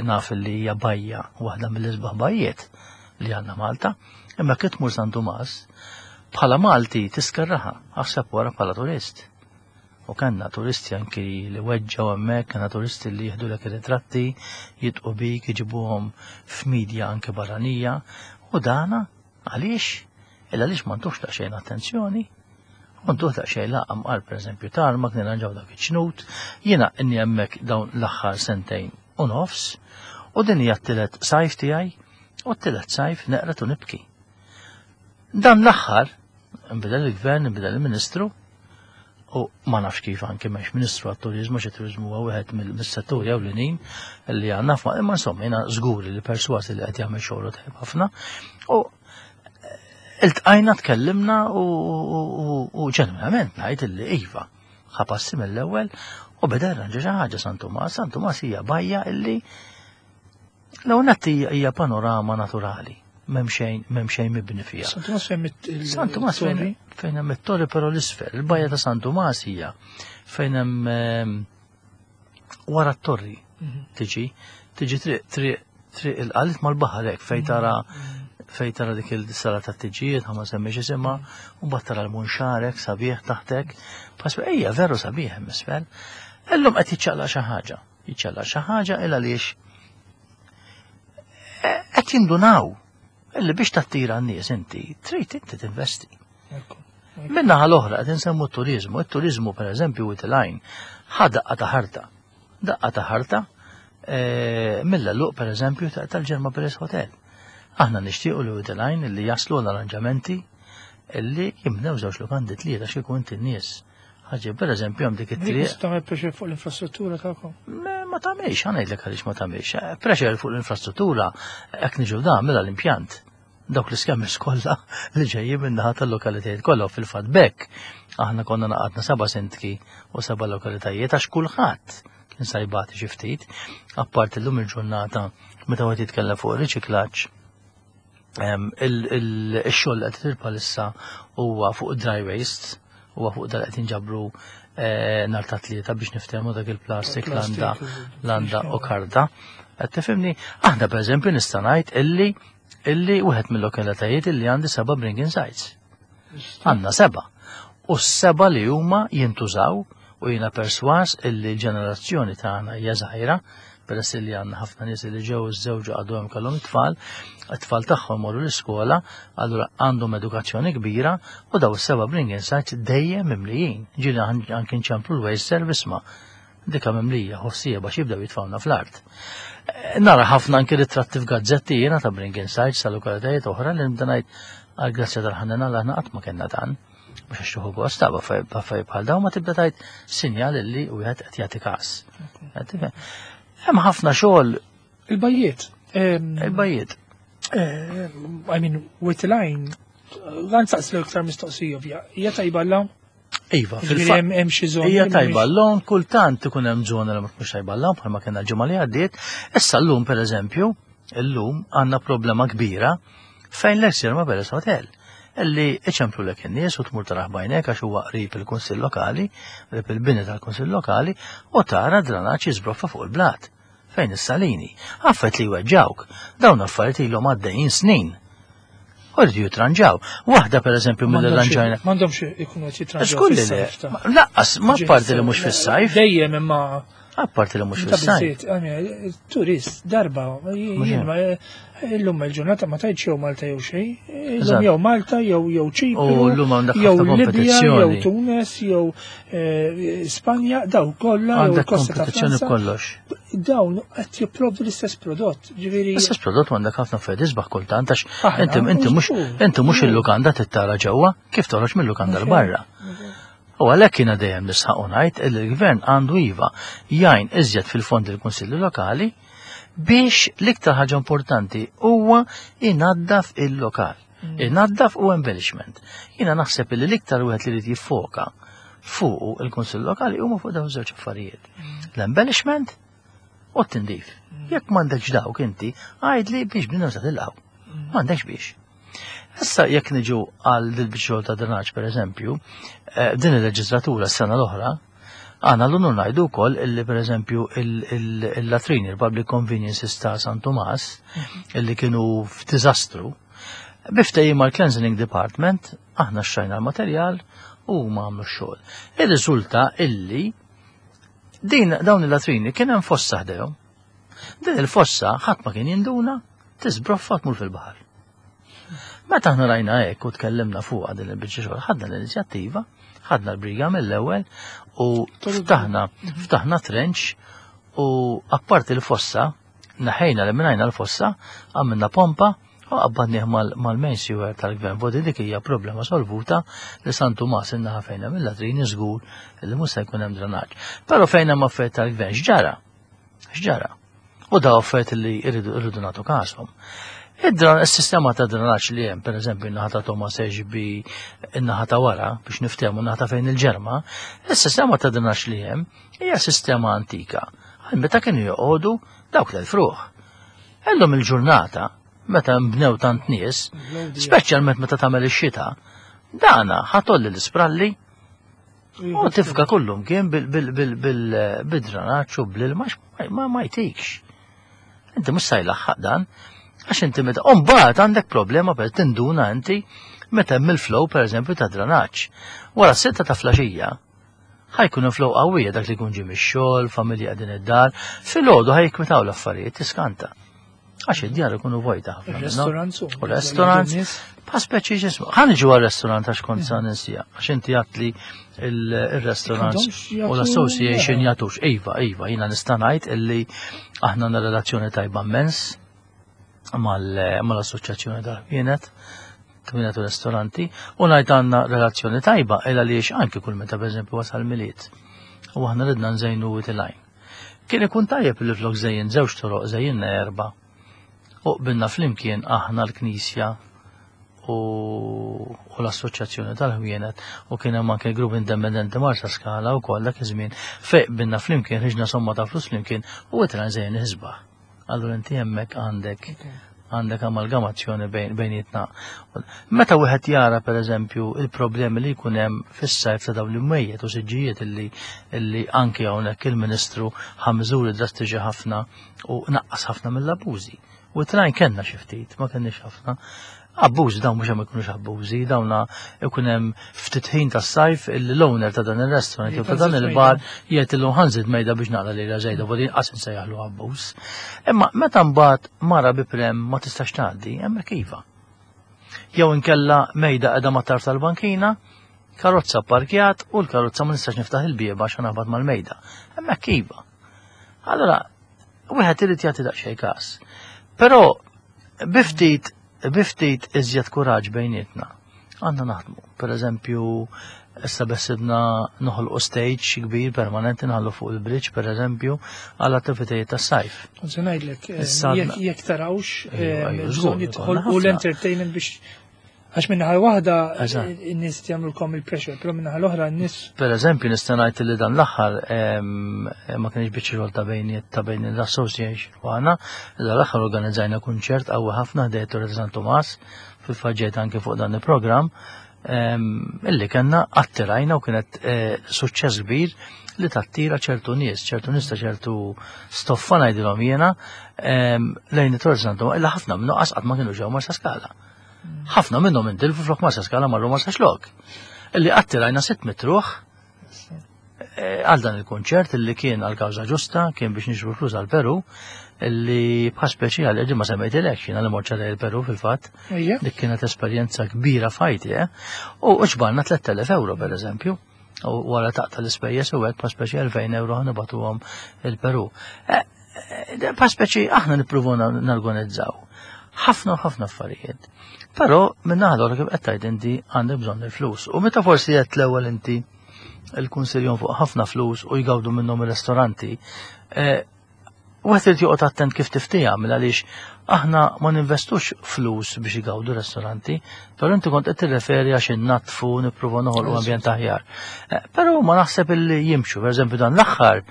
naf li hija bajja waħda mill-isbaħ bajjiet li għandna Malta, imma kif tmur San Tumas bħala Malti tiskerraħa, aħseb wara bħala turist. U kellna turisti anki li weġġaw hemmhekk, kellna turisti li jieħdu lek ritratti, jitqu bik, iġibuhom f'medja anke barranija. U dana għaliex? Illa għaliex ma ntux daqsxejn attenzjoni? U ntuh daqsxejn laqam qal pereżempju tarmak nirranġaw dak iċ-ċnut, jiena inni hemmhekk dawn l-aħħar sentejn u nofs, u din hija t-tielet sajf tiegħi, u t-tielet sajf neqret u nibki. Dan l-aħħar, nbidel il-gvern, nbidel il-ministru, u ma nafx kif anke m'hemmx ministru għat-turizmu, xi turizmu huwa wieħed mis-setturi ewlenin li għandna f'ma, imma insomma jiena żgur li persważi li qed jagħmel xogħlu tajjeb ħafna. U iltqajna tkellimna u ġenwinament ngħid illi iva, ħa passi mill-ewwel u beda jirranġa xi ħaġa San Tumas. San Tumas hija bajja illi l-ewwel nett hija panorama naturali. M'hemm xejn, m'hemm xejn mibni fiha. San Tumas fejn San Tumas fejn hemm it-torri però l-isfel. Il-bajja ta' San Tumas hija fejn hemm wara t-torri tiġi, tiġi triq triq il-qalit mal-baħar hekk fejn tara fejn tara dik il-sala ta' tiġijiet, ma semmiex isimha, u mbagħad tara l-munxarek sabiħ taħtek. Pasbe ejja veru sabiħ hemm isfel. Illum qed jiċċaqlaq xi ħaġa. Jiċċaqlaq xi ħaġa il għaliex Qed jindunaw illi biex tattira n-nies inti trid inti tinvesti. Min-naħa l-oħra qed insemmu t-turiżmu, it-turiżmu pereżempju Wied il-Għajn ħa daqqa ta' ħarta. Daqqa ta' ħarta eh, mill-għeluq pereżempju tal-Ġerma Palace Hotel. Aħna nixtiequ li Wied il-Għajn li jaslu l-arranġamenti illi jibnew żewġ lukandi tlieta xi jkun in-nies. Ħaġa, per eżempju, hemm dik it-triq. Tagħmel pressure fuq l-infrastruttura tagħkom? Ma tagħmilx, ħa ngħidlek għaliex ma tagħmilx. Eh, pressure fuq l-infrastruttura hekk niġu da mela l-impjant. Dawk l-iskemmis kollha li ġejjin min-naħa tal-lokalitajiet kollha u fil-fatt bekk aħna konna naqadna seba' sindki u seba' lokalitajiet għax kulħadd kien sajbati xi ftit, apparti llum il-ġurnata meta wieħed jitkellem fuq ir-riċiklaġġ Il-xogħol qed isir bħalissa huwa fuq dry waste, huwa fuq dal qed jinġabru eh, nhar ta' tlieta biex niftehmu dak il-plastik landa landa u karta. Qed tifhimni? Aħna pereżempju nista' ngħid illi illi wieħed mill-lokalitajiet illi għandi seba' bringing sites. Għandna seba'. U s-seba' li huma jintużaw u jiena perswas illi l-ġenerazzjoni tagħna hija żgħira, peress li għandna ħafna nies li ġew iżżewġu għadu hemm kellhom it-tfal, it-tfal tagħhom morru l-iskola, allura għandhom edukazzjoni kbira u daw is-seba' bringing sites dejjem mimlijin. Ġieli anke nċemplu l-waste service ma' dika mimlija ħossija biex jibdew jitfawna fl-art. Eh, nara ħafna anke ritratti f'gazzetti jiena ta' Bringing Sites ta' lokalitajiet oħra li nibda ngħid għal grazzja tal-ħanena l aħna qatt ma kellna dan. Mhux għax tieħu gost ta' b'affarijiet bħal dawn ma tibda tgħid sinjal li wieħed qed jagħti każ. Hemm ħafna xogħol. Il-bajjiet. Il-bajjiet. Eh, I mean, with line, għan saqslu iktar mistoqsija ovvja. Hija tajba l Iva, fil-fatt. Hemm xi żoni. Hija tajba l-lum, kultant ikun hemm żona li ma tkunx tajba l-lum bħalma kellna l-ġimgħa li għaddiet. Issa llum pereżempju, illum għandna problema kbira fejn l-Exir ma Beres Hotel illi iċemplu lek in-nies u tmur taraħ bajnek għax huwa qrib il-Kunsill Lokali, qrib il-bini tal-Kunsill Lokali u tara dranaġġ jiżbroffa fuq il-blat fejn is-salini. Affet li jweġġawk, dawn affarijiet ilhom għaddejjin snin. U rridu jitranġaw. Waħda per eżempju mill-ranġajna. M'għandhomx ikunu qed jitranġaw. Xkulli le. Laqqas, ma parti li mhux fis-sajf. Dejjem imma Apparti li mhux fis-sajf. Turist darba, illum il-ġurnata ma tgħidx jew Malta jew xejn, illum jew Malta jew jew Ċipru, jew Libja, jew Tunes, jew eh, Spanja, daw kollha jew il-Kosta ta' Franza. kollox. Dawn qed jipprovdu l-istess prodott, ġifieri. L-istess prodott għandek ħafna affarijiet isbaħ kultant għax inti inti mhux inti mhux il-lukanda tittara ġewwa kif toħroġ mill-lukanda l-barra. U għalhekk jiena dejjem nisħaq u ngħid li l-gvern għandu iva jgħin iżjed fil-fondi l-kunsilli lokali biex l-iktar ħaġa importanti huwa inaddaf il-lokal. Mm. Inaddaf u embellishment. Jiena naħseb li l-iktar wieħed li jrid jiffoka fuq il-kunsill lokali huma fuq dawn żewġ affarijiet. Mm. L-embellishment u t-tindif. Mm. Jekk m'għandekx dawk inti, għajdli biex bnina sa tilqgħu. M'għandekx biex. Issa jekk niġu għal dil-biċċa ta' drenaġġ pereżempju, eh, din il-leġislatura s-sena l-oħra, għana l-unur ngħidu wkoll illi pereżempju il-latrini, il-public conveniences ta' San Tomas, mhm. illi kienu f'diżastru, biftejjim mal-Cleansing Department, aħna xtrajna l-materjal u ma għamlu x-xogħol. Ir-riżulta illi din dawn il-latrini kien hemm fossa ħdejhom. Din il-fossa ħadd ma kien jinduna tiżbroffa tmur fil-baħar. Meta aħna rajna hekk u tkellimna fuqha din il-biċċa xogħol, ħadna l-inizjattiva, ħadna l-briga mill-ewwel u ftaħna ftaħna trench u apparti l-fossa, naħejna li minnajna l-fossa, għamilna pompa u qabbadnih mal-main sewer tal-gvern. Vodi dik hija problema solvuta li San Tumas innaħa fejna mill-latrini żgur li mhux se jkun hemm drenaġġ. Però fejn hemm affarijiet tal-gvern x'ġara? X'ġara? U da affarijiet li irridu nagħtu kashom. Id-sistema ta' drenaġġ li hemm, pereżempju, in-naħa ta' Thomas Ashby, in-naħa ta' wara, biex niftehmu n-naħa ta' fejn il-ġerma, is-sistema ta' drenaġġ li hemm hija sistema antika. Għal meta kienu joqogħdu dawk l-frugħ. Illum il-ġurnata, meta nbnew tant nies, speċjalment meta tagħmel ix-xita, dana ħatolli l-ispralli U tifka kullum kien bil-dranaċ u bl-ilma ma jtikx. Inti mhux se jlaħħaq dan, għax inti meta u mbagħad għandek problema per tinduna inti meta hemm il-flow pereżempju ta' dranaċ. Wara s-sitta ta' flaxija, ħajkun flow qawwija dak li jkun ġie mix-xogħol, familja qegħdin id-dar, filgħodu ħajkwitaw l-affarijiet tiskanta. Għax id-djar ikunu vojta ħafna. Restaurants u restaurants. Pa speċi ġismu. Ħa niġu għal-restaurant għax kont sa ninsija. Għax inti għatli il-restaurants u l-association jagħtux. Iva, iva, jiena nista' ngħid illi aħna għandna relazzjoni tajba immens mal-assoċjazzjoni tal-ħwienet kmienet u restoranti u ngħid għandna relazzjoni tajba illa li anki kull meta pereżempju wasal miliet u aħna ridna nżejnu it-lajn. Kien ikun tajjeb li flok żejjin żewġ toroq żejjinna erba' u qbilna flimkien aħna l-Knisja u, u l-Assoċjazzjoni tal-Ħwienet u kien hemm anke grupp indipendenti Marsa Skala wkoll dak iż-żmien fejn qbilna flimkien ħriġna somma ta' flus flimkien u itra nżejjen isbaħ. Allura inti hemmhekk għandek għandek amalgamazzjoni bejnietna. Meta wieħed jara pereżempju il-problemi li jkun hemm fis-sajf ta' dawn l-imwejjed u siġġijiet illi illi anke hawnhekk il-Ministru ħa miżuri drastiċi ħafna u naqqas ħafna mill-abbużi. U trajn kellna xi ftit, ma kenniex ħafna. Abbużi dawn mhux hemm ikunux abbużi, dawna ikun hemm ftit ħin tas-sajf illi l-owner ta' dan ir-restaurant jew ta' dan il-bar jgħid illum ħanżid mejda biex naqla lejla żejda u din qas insejjaħlu abbuż. Imma meta mbagħad mara bi prem ma tistax tgħaddi, hemmhekk iva. Jew inkella mejda qiegħda mat-tarf tal-bankina, karozza parkjat u l-karozza ma nistax niftaħ il-bieba għax naħbat mal-mejda. Hemmhekk iva. Allora, wieħed irid jagħti daqsxejn każ. Però bi ftit bi ftit iżjed kuraġġ bejnietna għandna naħdmu. Per eżempju, issa besibna noħolqu stage kbir permanenti nħallu fuq il-bridge per eżempju għal attivitajiet tas-sajf. Kont se ngħidlek, eh, jekk tarawx eh, bżonn jidħolqu l-entertainment biex Għax minnaħa waħda n-nies jagħmlulkom il-pressure, però minnaħa l-oħra n-nies. Per eżempju, nista' ngħid li dan l-aħħar ma kienx biċċa xogħol ta' bejn ta' bejn l-association u aħna, dan l-aħħar organizzajna kunċert qawwi ħafna ħdejn Torre San Tomas, fil-faġġejt anke fuq dan il-programm, illi kellna attirajna u kienet eh, suċċess kbir li tattira ċertu nies, ċertu nies ta' ċertu stoffa ngħidilhom jiena lejn it-Torre San Tomas, illa ħafna minnu qatt ma kienu ġew Marsa Skala. Ħafna minnhom intilfu flok Marsa Skala marru Marsa Xlok. Illi attirajna 600 ruħ eh, għal dan il-konċert illi kien għal kawża ġusta, kien biex nixbru flus għal Peru, illi bħal speċjali ġi ma semmejtilek jiena li morċa lejn il-Peru fil-fatt. Dik kienet esperjenza kbira fajti, eh? U ġbarna 3000 euro per eżempju. U wara taqta l-ispejjeż u hekk pa speċi 2000 euro ħanibatuhom il-Peru. Eh, eh, pa speċi aħna nippruvu narganizzaw ħafna u ħafna affarijiet. Però minn naħa kif qed tgħid inti għandek bżonn il-flus. U meta forsi qed l-ewwel inti il-kunsiljon fuq ħafna flus u jgawdu minnhom ir-ristoranti, eh, Wieħed irid joqgħod attent kif tiftija mill għaliex aħna ma ninvestux flus biex igawdu restoranti, però inti kont qed tirreferi għax innatfu nippruva noħolqu ambjent aħjar. Eh, però ma naħseb illi jimxu, pereżempju dan l-aħħar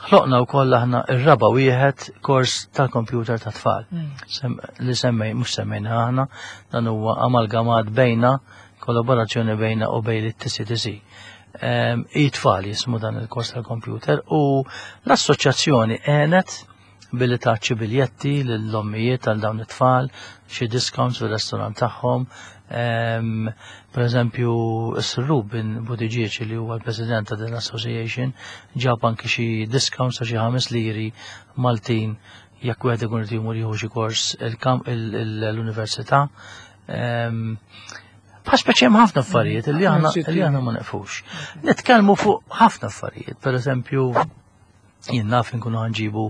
ħloqna wkoll aħna ir-raba wieħed kors tal-kompjuter ta' tfal. Hmm. Li semmej, mhux semmejna aħna, dan huwa amalgamat bejna kollaborazzjoni bejna u bejn it-TCTC. It-tfal jismu dan il-kors tal-kompjuter u l-assoċjazzjoni għenet billi taċċi biljetti lill-ommijiet għal dawn it-tfal, xi discounts fil-restorant tagħhom. Per eżempju, s-Sir Ruben Buttigieg li huwa l-president ta' din l-association ġab anki xi discounts ta' xi ħames liri Maltin jekk wieħed ikun irid jmur jieħu xi kors l-università. Bħal speċi hemm ħafna affarijiet li aħna li aħna ma nefux. Nitkellmu fuq ħafna affarijiet, per eżempju, jien naf inkunu ħanġibu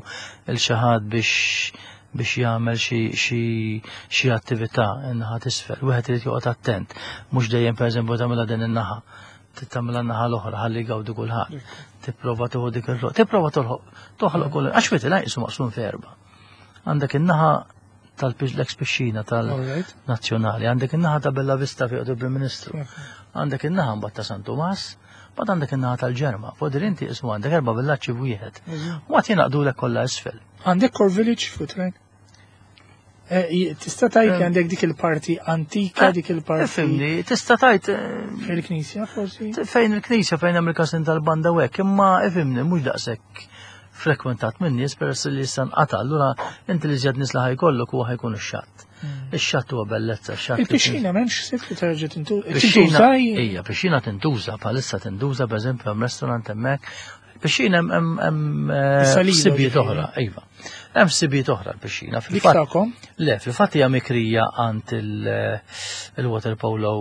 il xi ħadd biex biex jagħmel xi attività in-naħa t'isfel. Wieħed irid joqgħod attent, mhux dejjem pereżempju tagħmilha din in-naħa, tagħmilha n-naħa l-oħra ħalli jgawdu kulħadd. Tipprova tieħu dik ir tipprova toħloq toħloq kull għax wieħed ilajqisu maqsum f'erba'. Għandek in-naħa tal-ex pixxina tal-nazzjonali, għandek in-naħa ta' Bella Vista fi il-Prim Ministru, għandek in-naħa mbagħad ta' San Tumas, mbagħad għandek in-naħa tal-Ġerma. Fodri inti ismu għandek erba' villaġġi f'wieħed. U għad jingħaqdulek kollha isfel. Għandek Core Village fuq Eh, tista' tajt li eh. għandek dik il-parti antika, eh, dik il-parti. Fimni, tista' tajt. Fejn il-knisja forsi? Fejn il-knisja fejn hemm il-kasin tal-banda u hekk, imma ifimni mhux daqshekk frekwentat minn nies peress li issa nqata' allura inti li żjed nies li ħajkollok huwa ħajkun ix-xatt. Hmm. Ix-xatt huwa bellezza, x-xatt. Il-pixxina m'hemmx ħsieb li terġa' tintuża. Ija, pixxina tintuża, bħalissa tintuża pereżempju hemm restaurant hemmhekk. Pixxina hemm ħsibijiet oħra, iva. Hemm ħsibijiet oħra l-pixxina. Fil-fatt. Le, fil-fatt hija mikrija għand il-Water Polo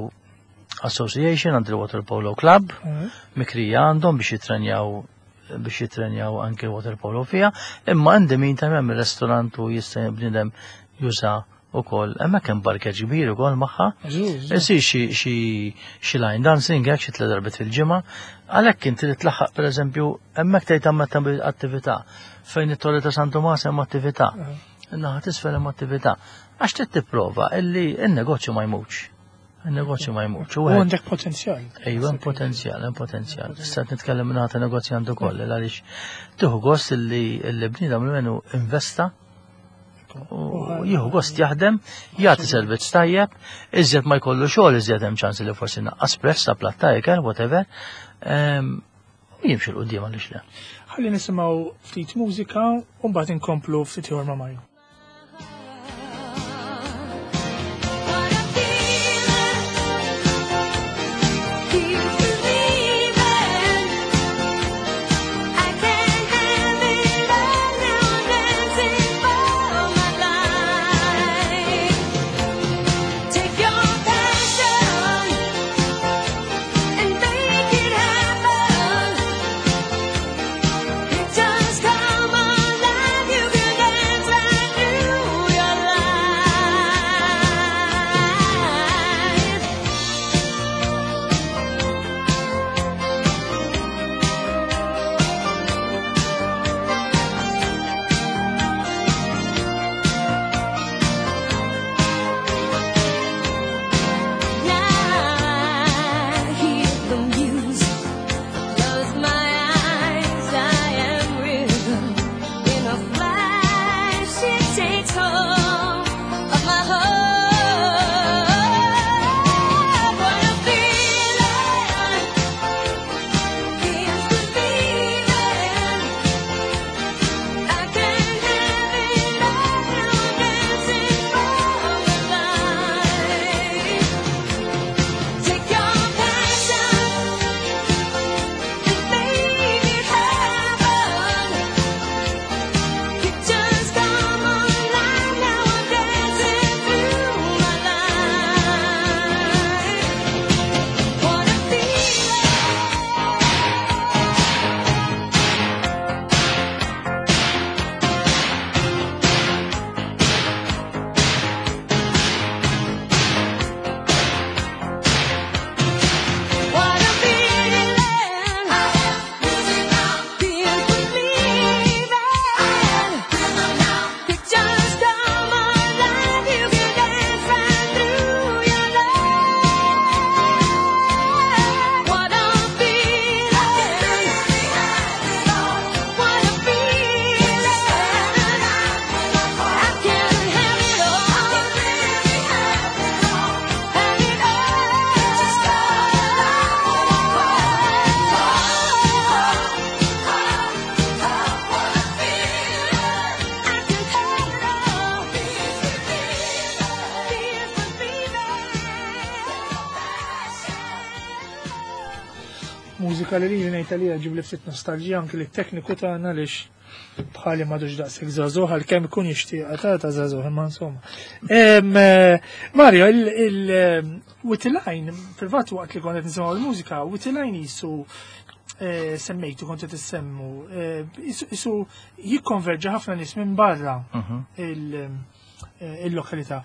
Association, għand il-Water Polo Club, mikrija għandhom biex jitrenjaw biex jitrenjaw anke water polo fija, imma għandi min ta' hemm il-restorant u jista' bniedem juża ukoll. Hemmhekk hemm parkeġġ kbir ukoll magħha. Isir xi line dancing hekk xi tliet darbiet fil-ġimgħa. Għalhekk inti li tlaħħaq pereżempju hemmhekk tgħid hemm attività fejn it-Torri ta' San Tumas hemm attività. In-naħa t'isfel hemm attività. Għax trid tipprova illi n-negozju ma jmutx. Il-negozju ma jmutx. U għandek potenzjal. Ejwa, hemm potenzjal, hemm potenzjal. Issa qed nitkellem minn ta' negozjant ukoll għaliex tieħu gost illi l-bniedem li menu investa u jieħu gost jaħdem, jagħti servizz tajjeb, iżjed ma jkollu xogħol iżjed hemm ċans li forsi naqqas prezz ta' platt ta' ikel, whatever. U jimxi 'l quddiem għaliex le. Ħalli nisimgħu ftit mużika u mbagħad inkomplu ftit ieħor ma' Mario. Mużika li lili ngħid għalija ġib li ftit nostalġija anki li tekniku tagħna għaliex bħali m'għadux daqshekk żagħżugħ għalkemm ikun jixtieqha ta' ta' żagħżugħ imma insomma. Mario, il-Witiline, fil-fatt waqt li kont qed nisimgħu l-mużika, Witiline jisu semmejtu kont qed issemmu, jisu jikkonverġa ħafna nies minn barra il-lokalità.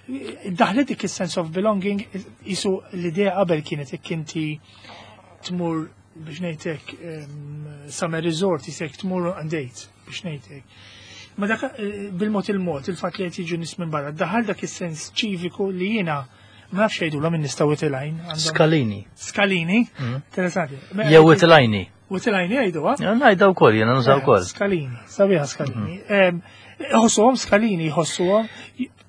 Daħlet dik is-sense of belonging, jisu l-idea qabel kienet jekk inti tmur biex ngħidlek summer resort jisek tmur għandejt biex ngħidlek. Ma dak bil-mod il-mod il-fatt li qed jiġu nies minn barra, daħal dak is-sens ċiviku li jiena ma nafx jgħidulhom in-nies ta' Witilajn. Skalini. Skalini? Interessanti. Jew Witilajni. Witilajni jgħidu, ha? Ja, ngħidha wkoll, jiena nużaw wkoll. Skalini, sabiħa skalini. Iħossuhom skalini, jħossuhom,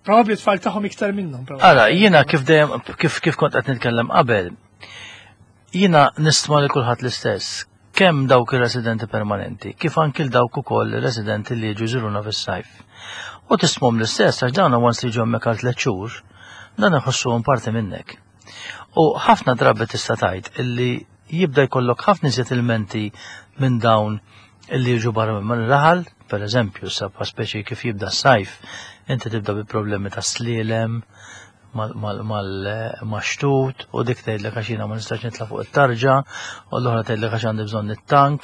probabbli tfal tagħhom iktar minnhom. Ara, jiena kif dejjem kif kont qed nitkellem qabel, jiena nistma li kulħadd l-istess, kemm dawk ir-residenti permanenti, kif anki dawk ukoll ir-residenti li jiġu jżuruna fis-sajf. U tistmhom l-istess għax dawn once li ġew hemmhekk għal 3 xhur, dan iħossuhom parti minnek. U ħafna drabi tista' tgħid illi jibda jkollok ħafna iżjed ilmenti minn dawn illi jiġu barra minn raħal, per eżempju, sa speċi kif jibda s-sajf, inti tibda bi problemi ta' slielem, mal-xtut u dik tgħidlek għax jiena ma nistax nitla' fuq it-tarġa u l-oħra tgħidlek għax għandi bżonn it-tank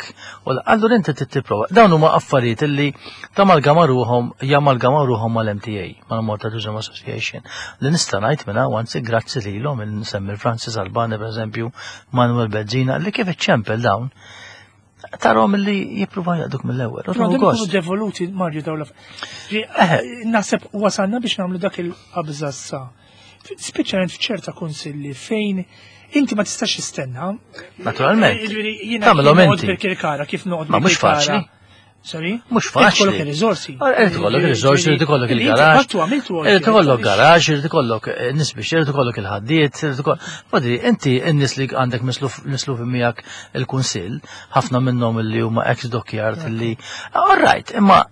u allura inti trid tipprova. Dawn huma affarijiet illi tamalgama ruħhom jamalgama ruħhom mal-MTA, mal-Malta Tourism Association, li nista' ngħid minn hawn anzi grazzi lilhom nsemmi Francis Albani pereżempju, Manuel Bezzina li kif iċċempel dawn tarom li jippruvaw jaqduk mill-ewwel. U tieħu devoluti Mario dawn Naħseb wasalna biex nagħmlu dak il-qabża sa. Speċjalment f'ċerta kunsilli fejn inti ma tistax tistenna. Naturalment. Jiġifieri jiena Tagħmilhom inti. Bil-Kirkara kif noqgħod. Ma mhux faċli. Sorry? Mhux faċli. Ikollok ir-riżorsi. Irid ikollok ir-riżorsi, irid ikollok il-garaġ. Irid ikollok garaġ, irid ikollok eh, nies biex irid ikollok il-ħaddiet, irid ikollok. Madri, inti n-nies li għandek misluf miegħek il-kunsill, ħafna minnhom li huma ex dockyard li. All right, imma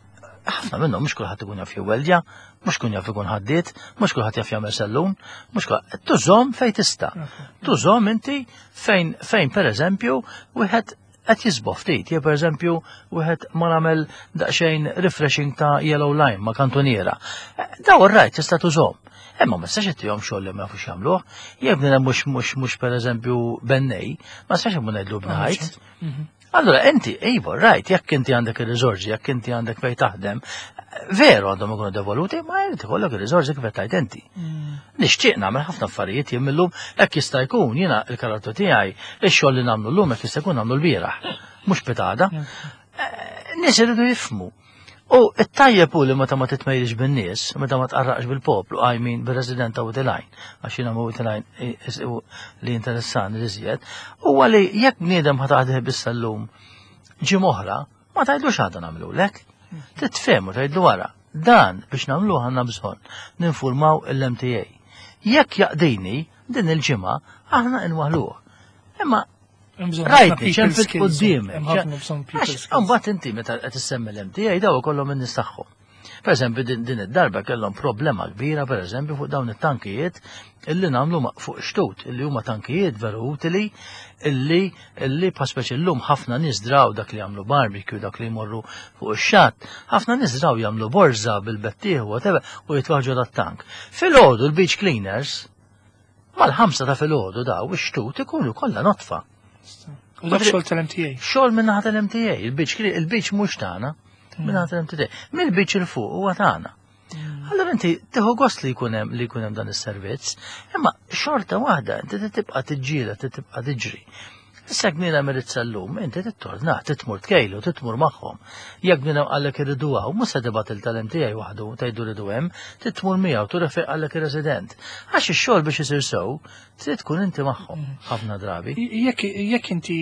ħafna minnhom mhux kulħadd ikun jaf jweldja, mhux kun jaf ikun ħaddiet, mhux kulħadd jaf jagħmel sellum, mhux kulħadd. Tużhom fejn tista'. Tużhom inti fejn fejn pereżempju wieħed qed jisboh ftit, jew pereżempju wieħed ma nagħmel daqsxejn refreshing ta' yellow line ma' kantuniera. Daw right tista' tużhom. Imma ma tistax ittihom xogħol li ma jafux jagħmluh. Jekk bniedem mhux mhux mhux pereżempju bennej, ma tistax imur ngħidlu bnajt. Mhm. Allora inti, iva, right, jekk inti għandek il-riżorsi, jekk inti għandek fejn taħdem, veru għandhom ikunu devoluti, ma jrid ikollok il-riżorsi kif qed tgħid inti. Mm. Nixtieq nagħmel ħafna affarijiet jien millum hekk jista' jkun jiena l-karattru tiegħi ix-xogħol li nagħmlu llum hekk jista' jkun nagħmlu l-bieraħ, mhux pitada. Mm. Eh, nies iridu jifhmu. U it-tajjeb hu li meta ma titmejlix bin-nies, meta ma tqarraqx bil-poplu, I mean bir-resident ta' Witilajn, għax jiena ma Witilajn li interessani li żjed, huwa li jekk bniedem ħa taħdih biss llum ġimgħa oħra, ma tgħidlux għadha nagħmlulek. Titfehmu tgħidlu wara. Dan biex nagħmluh għandna bżonn ninfurmaw l-MTA. Jekk jaqdini din il-ġimgħa aħna nwaħluh. Imma Rajtni, ċempil qudiemek. Mbagħad inti meta qed issemmi l-MTA daw ikollhom in-nies tagħhom. Per eżempju, din id-darba kellhom problema kbira, per eżempju, fuq dawn it-tankijiet illi nagħmlu fuq xtut, illi huma tankijiet veru utili, illi illi pa speċi llum ħafna nies draw dak li jagħmlu barbecue, dak li jmorru fuq ix-xatt, ħafna nies draw jagħmlu borża bil-bettieħ whatever u jitwaħġu dat-tank. Filgħodu l-beach cleaners Mal-ħamsa ta' filgħodu daw ix-xtut ikunu kollha notfa. U dak xogħol tal-MTA. Xogħol minn naħa tal-MTA, il-beach il-beach mhux tagħna, minn naħa tal-MTA. Mill-beach il fuq huwa tagħna. Mm. Allora inti tieħu gost li jkun hemm li jkun hemm dan is-servizz, imma xorta waħda inti tibqa' tiġġiela, tibqa' tiġri. Issa jekk bniedem irid sal-lum, inti tittornah, titmur tkejlu, titmur magħhom. Jekk bniedem qallek irridu hawn, mhux se tibgħat il tal-MTA waħdu tgħidu rridu hemm, titmur miegħu turi fejn qallek ir-resident. Għax ix-xogħol biex isir sew, trid tkun inti magħhom mm. ħafna drabi. Jekk inti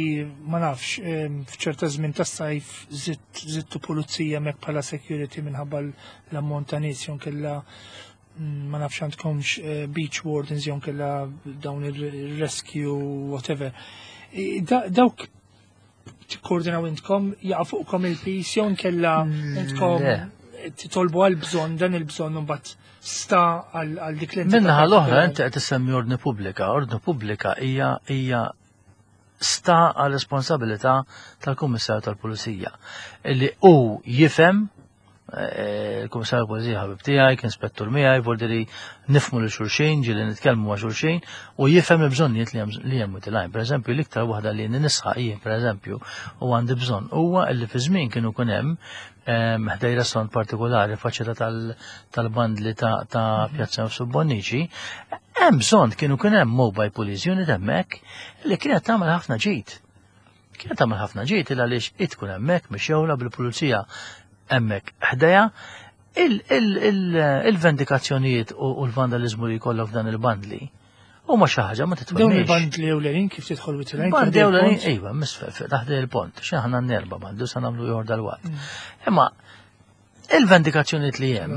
ma nafx f'ċerta żmien tas-sajf żidtu pulizija hemmhekk bħala security minħabba l-ammont ta' nies jew kella ma nafx għandkomx eh, beach wardens jew kella dawn il-rescue whatever. Dawk tikkoordinaw intkom jaqa' fuqkom il-pis jew kella mm, intkom titolbu għal bżonn dan il-bżonn mbagħad sta għal dik l Minnaħa l-oħra inti qed issemmi ordni pubblika, ordni pubblika hija hija sta għal responsabilità tal-Kummissarju tal-Pulizija li hu jifhem eh, il-Kummissarju tal-Pulizija ħabib tiegħi, kien spettur miegħi, voldi li nifmu lil xulxin, ġieli nitkellmu ma' xulxin u jifhem il-bżonnijiet li hemm utilajn. Pereżempju, l-iktar waħda li nisħaq jien pereżempju u għandi bżonn huwa li fi żmien kienu kun hemm ehm, ħdej restaurant partikolari faċċata tal-bandli ta' mhm. Pjazza Nfsu Bonnici, hemm bżonn kienu kien hemm mobile police unit hemmhekk li kienet tagħmel ħafna ġid. Kienet tagħmel ħafna ġid il għaliex it tkun hemmhekk mixewla bil-pulizija hemmhekk ħdejha il-vendikazzjonijiet u l-vandalizmu li jkollok f'dan il-bandli huma xi ħaġa ma titwemmix. Dawn il-bandli ewlenin kif tidħol witilajn? Bandli ewlenin, iva, misfel, taħt il-pont, xi aħna nerba bandli sa nagħmlu ieħor dal-waqt. Mm. Imma il-vendikazzjonijiet li hemm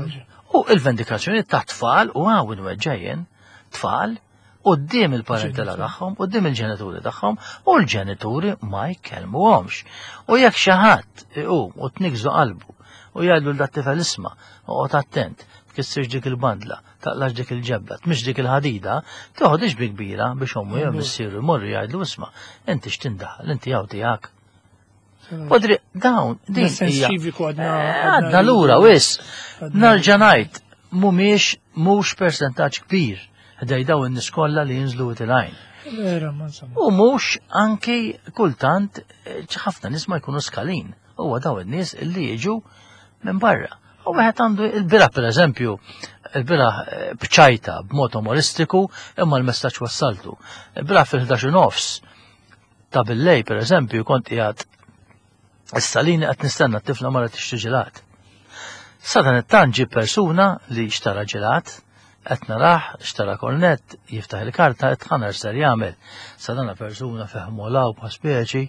u il-vendikazzjonijiet ta' tfal u għaw inweġġejjen tfal qudiem il-parentela tagħhom, qudiem il-ġenituri tagħhom u l-ġenituri ma jkellmuhomx. U jekk xi ħadd iqum u tnikżu qalbu u jgħidlu l tifel isma' oqgħod attent, tkissirx dik il-bandla, taqlax dik il-ġebla, tmix dik il-ħadida, toħodix bi kbira biex ommu jew missieru jmorru jgħidlu isma' inti x'tindaħal, inti hawn tiegħek. Podri, dawn, din. Sens ċiviku għadna. Eh, għadna lura, wis. Narġa' ngħid, mhumiex mhux persentaġġ kbir ħdej daw in-nies kollha li jinżlu itilgħin. Vera, ma insomma. U mhux anki kultant eh, ħafna nies ma jkunu skalin. Huwa daw in-nies li jiġu minn barra. U wieħed għandu il-bira pereżempju, il-bira eh, bċajta b'mod umoristiku imma l-messaġġ wassaltu. Il-bira fil-11 nofs ta' billej pereżempju kont qiegħed is-salini qed nistenna t-tifla mara tixtri ġelat. Sadan it-tant ġie persuna li xtara ġelat, qed narah xtara kornett, jiftaħ il-karta qed ħanar ser jagħmel. Sadana persuna feħmolaw pa' speċi,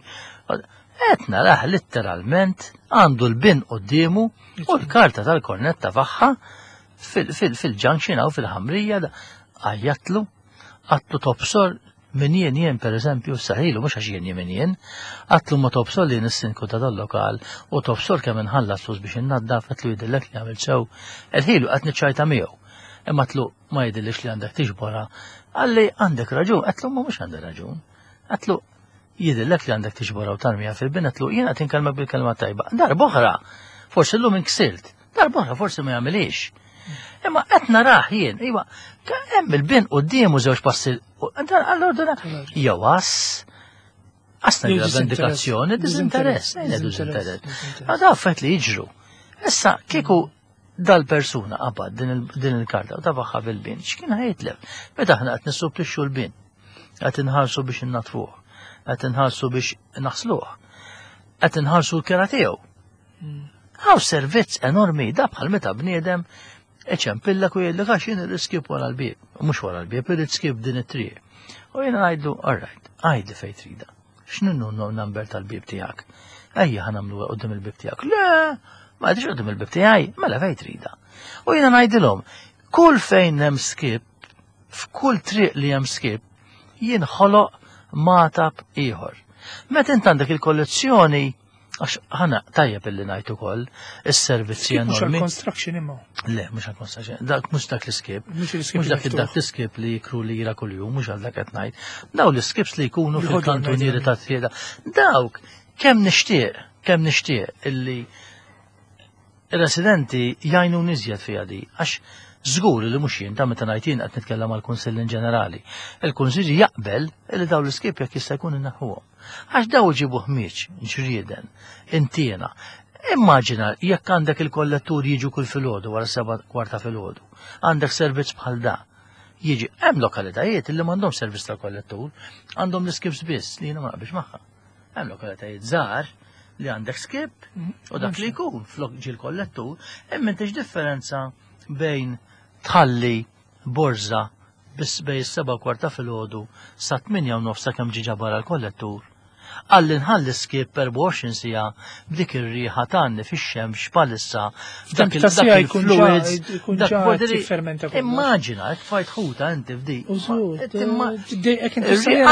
qed narah letteralment għandu l-bin quddiemu u l-karta tal-kornett tafaħħa fil-junction hawn fil-ħamrija għajjatlu, għatlu tobsor Min jien jien pereżempju saħilu mhux għax jien jien min jien, għatlu ma tobsor li jien is-sindku ta' dal-lokal u tobsor kemm inħallas flus biex innaddaf għatlu jidhirlek li għamilt sew. Għedħilu qed niċċajta miegħu. Imma għatlu ma jidhirlix li għandek tiġborha. Qalli għandek raġun, għatlu ma mhux għandi raġun. Għatlu jidhirlek li għandek tiġborha u tarmiha fil-bin, għatlu jien qed inkellmek bil-kelma tajba. Darb'oħra, forsi llum inksirt, Darb'oħra forsi ma jagħmilix. Imma qed narah jien, iva, hemm il-bin quddiemu żewġ passi allora jew għas għas ngħidu vendikazzjoni, diżinteress, ngħidu diżinteress. Ma da affett li jiġru. Issa kieku dal-persuna qabad din il-karta u tafaħħa fil-bin, x'kien ħajtlef? Meta aħna qed nissupplixxu l-bin, qed inħarsu biex innatfuh, qed inħarsu biex naħsluh, qed inħarsu l-kera tiegħu. Hawn servizz enormi da bħal meta bniedem iċempillek u jgħidlek għax jien irrid skip wara l-bieb. Mhux wara l-bieb, irrid skip din it-triq. U jiena ngħidlu, all right, għidli fejn trida. X'inhu number tal-bieb tiegħek? Ejja ħa nagħmlu qudiem il-bieb tiegħek. Le, ma għadix qudiem il-bieb tiegħi, mela fejn trida. U jiena ngħidilhom, kull fejn hemm skip, f'kull triq li hemm skip, jinħoloq matab ieħor. Meta int għandek il-kollezzjoni Għax ħana tajjeb illi ngħid ukoll is-servizzi enormi. Mhux għall-construction imma. Le, mhux għall-construction. Dak mhux dak l-iskip. Mhux dak dak l-iskip li jikru li jira kuljum, mhux għal dak qed ngħid. Daw l-iskips li jkunu fil-kantunieri ta' trieda. Dawk kemm nixtieq, kemm nixtieq illi Ir-residenti jgħinuni iżjed fiha di, għax żgur li mhux jien ta' meta ngħid jien qed nitkellem għall-Kunsill in ġenerali. Il-Kunsill jaqbel li dawn l-iskip jekk jista' jkun inneħħuhom. Għax daw iġibu ħmieġ, ġrieden, intiena. Immaġina jekk għandek il-kollettur jiġu kull filgħodu wara seba' kwarta filgħodu. Għandek servizz bħal da. Jiġi hemm lokalitajiet li m'għandhomx servizz tal-kollettur, għandhom l-iskips biss li jiena ma naqbilx magħha. Hemm lokalitajiet żgħar li għandek skip u dak li jkun flok ġil kollettur, hemm intix differenza bejn tħalli borża biss bej is-seba' kwarta filgħodu sa 8 u nofs sakemm ġi ġabar għall-kollettur għalli nħalli skip 24 sija b'dik ir-riħa tgħanni fix-xemx bħalissa dak il-fluids dak Immaġina, jekk tfajt ħuta inti f'di.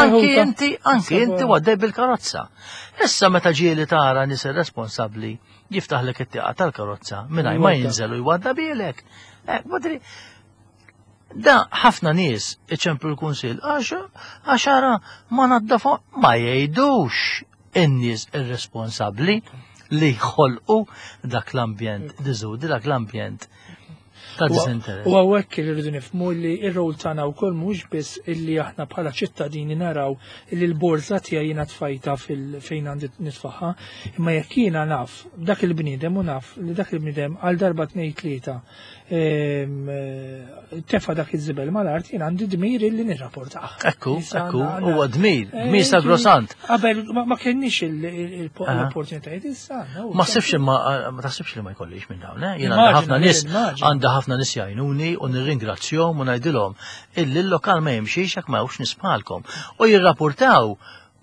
Anki inti, anki inti għaddej bil-karozza. Issa meta ġieli tara nies irresponsabbli jiftaħlek it-tieqa tal-karozza mingħajr ma jinżel u jwadda bilek. Eh, da ħafna nies iċemplu l-kunsill għax għaxara ma naddafu ma jgħidux in-nies irresponsabbli li jħolqu dak l-ambjent diżudi, dak l-ambjent ta' disinteress. U għawek li rridu nifmu li ir-rol tagħna wkoll mhux biss illi aħna bħala ċittadini naraw illi l-borża tiegħi jiena tfajta fejn għandi nitfaħħa, imma jekk jiena naf dak il-bniedem u naf li dak il-bniedem għal darba tnejn tlieta Eh, tefa dak iż-żibel mal-art jien għandi dmir illi nirrapportah. Ekku, ekku, huwa dmir, eh, dmir sagrosant. Qabel ma kenniex l-opportunitajiet issa. Ma sibx ma taħsibx li ma jkollix minn dawn, eh? Jien għandha ħafna nies għandha ħafna nies jgħinuni u nirringrazzjahom u ngħidilhom illi l-lokal ma jimxix jekk ma hawnx nies bħalkom. U jirrapportaw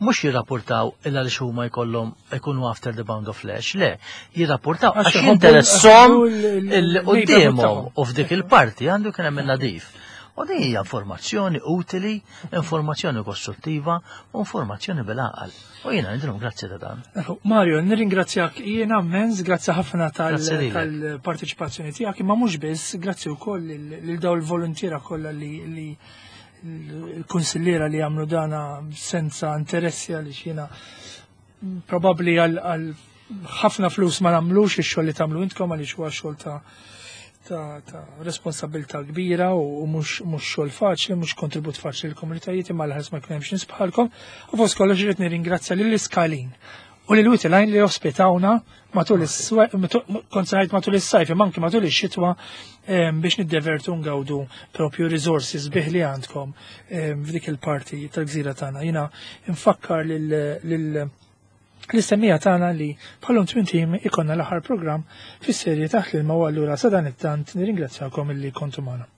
mhux jirrapportaw il għaliex huma jkollhom ikunu after the bound of flesh, le, jirrapportaw għax jinteressom il-quddiemhom u f'dik il-parti għandu kien hemm nadif. U din hija informazzjoni utili, informazzjoni kostruttiva u informazzjoni bil-għaqal. U jiena ngħidilhom grazzi ta' dan. Mario, nirringrazzjak jiena immens, grazzi ħafna tal-parteċipazzjoni tiegħek, imma mhux biss, grazzi wkoll lil dawn il-voluntiera kollha li il-kunsilliera li jagħmlu dana senza interessi għaliex jiena Probabbli għal ħafna flus ma nagħmlux ix-xogħol li tagħmlu intkom għaliex huwa xogħol ta' responsabilità kbira u mhux xogħol faċli, mhux kontribut faċli l-komunitajiet imma l-ħars ma jkun hemmx nies bħalkom. U fost kollox irid nirringrazzja lill-Iskalin u lil Witilajn li ospitawna matul kont matul is-sajf imma anki matul ix-xitwa biex niddevertu ngawdu propju resources bih li għandkom f'dik il-parti tal-gżira tagħna. Jiena nfakkar lil l-istemmija tagħna li bħalhom twin team ikonna l-aħħar programm fis-serje taħt l-ilma u allura sa dan it-tant nirringrazzjakom illi kontu magħna.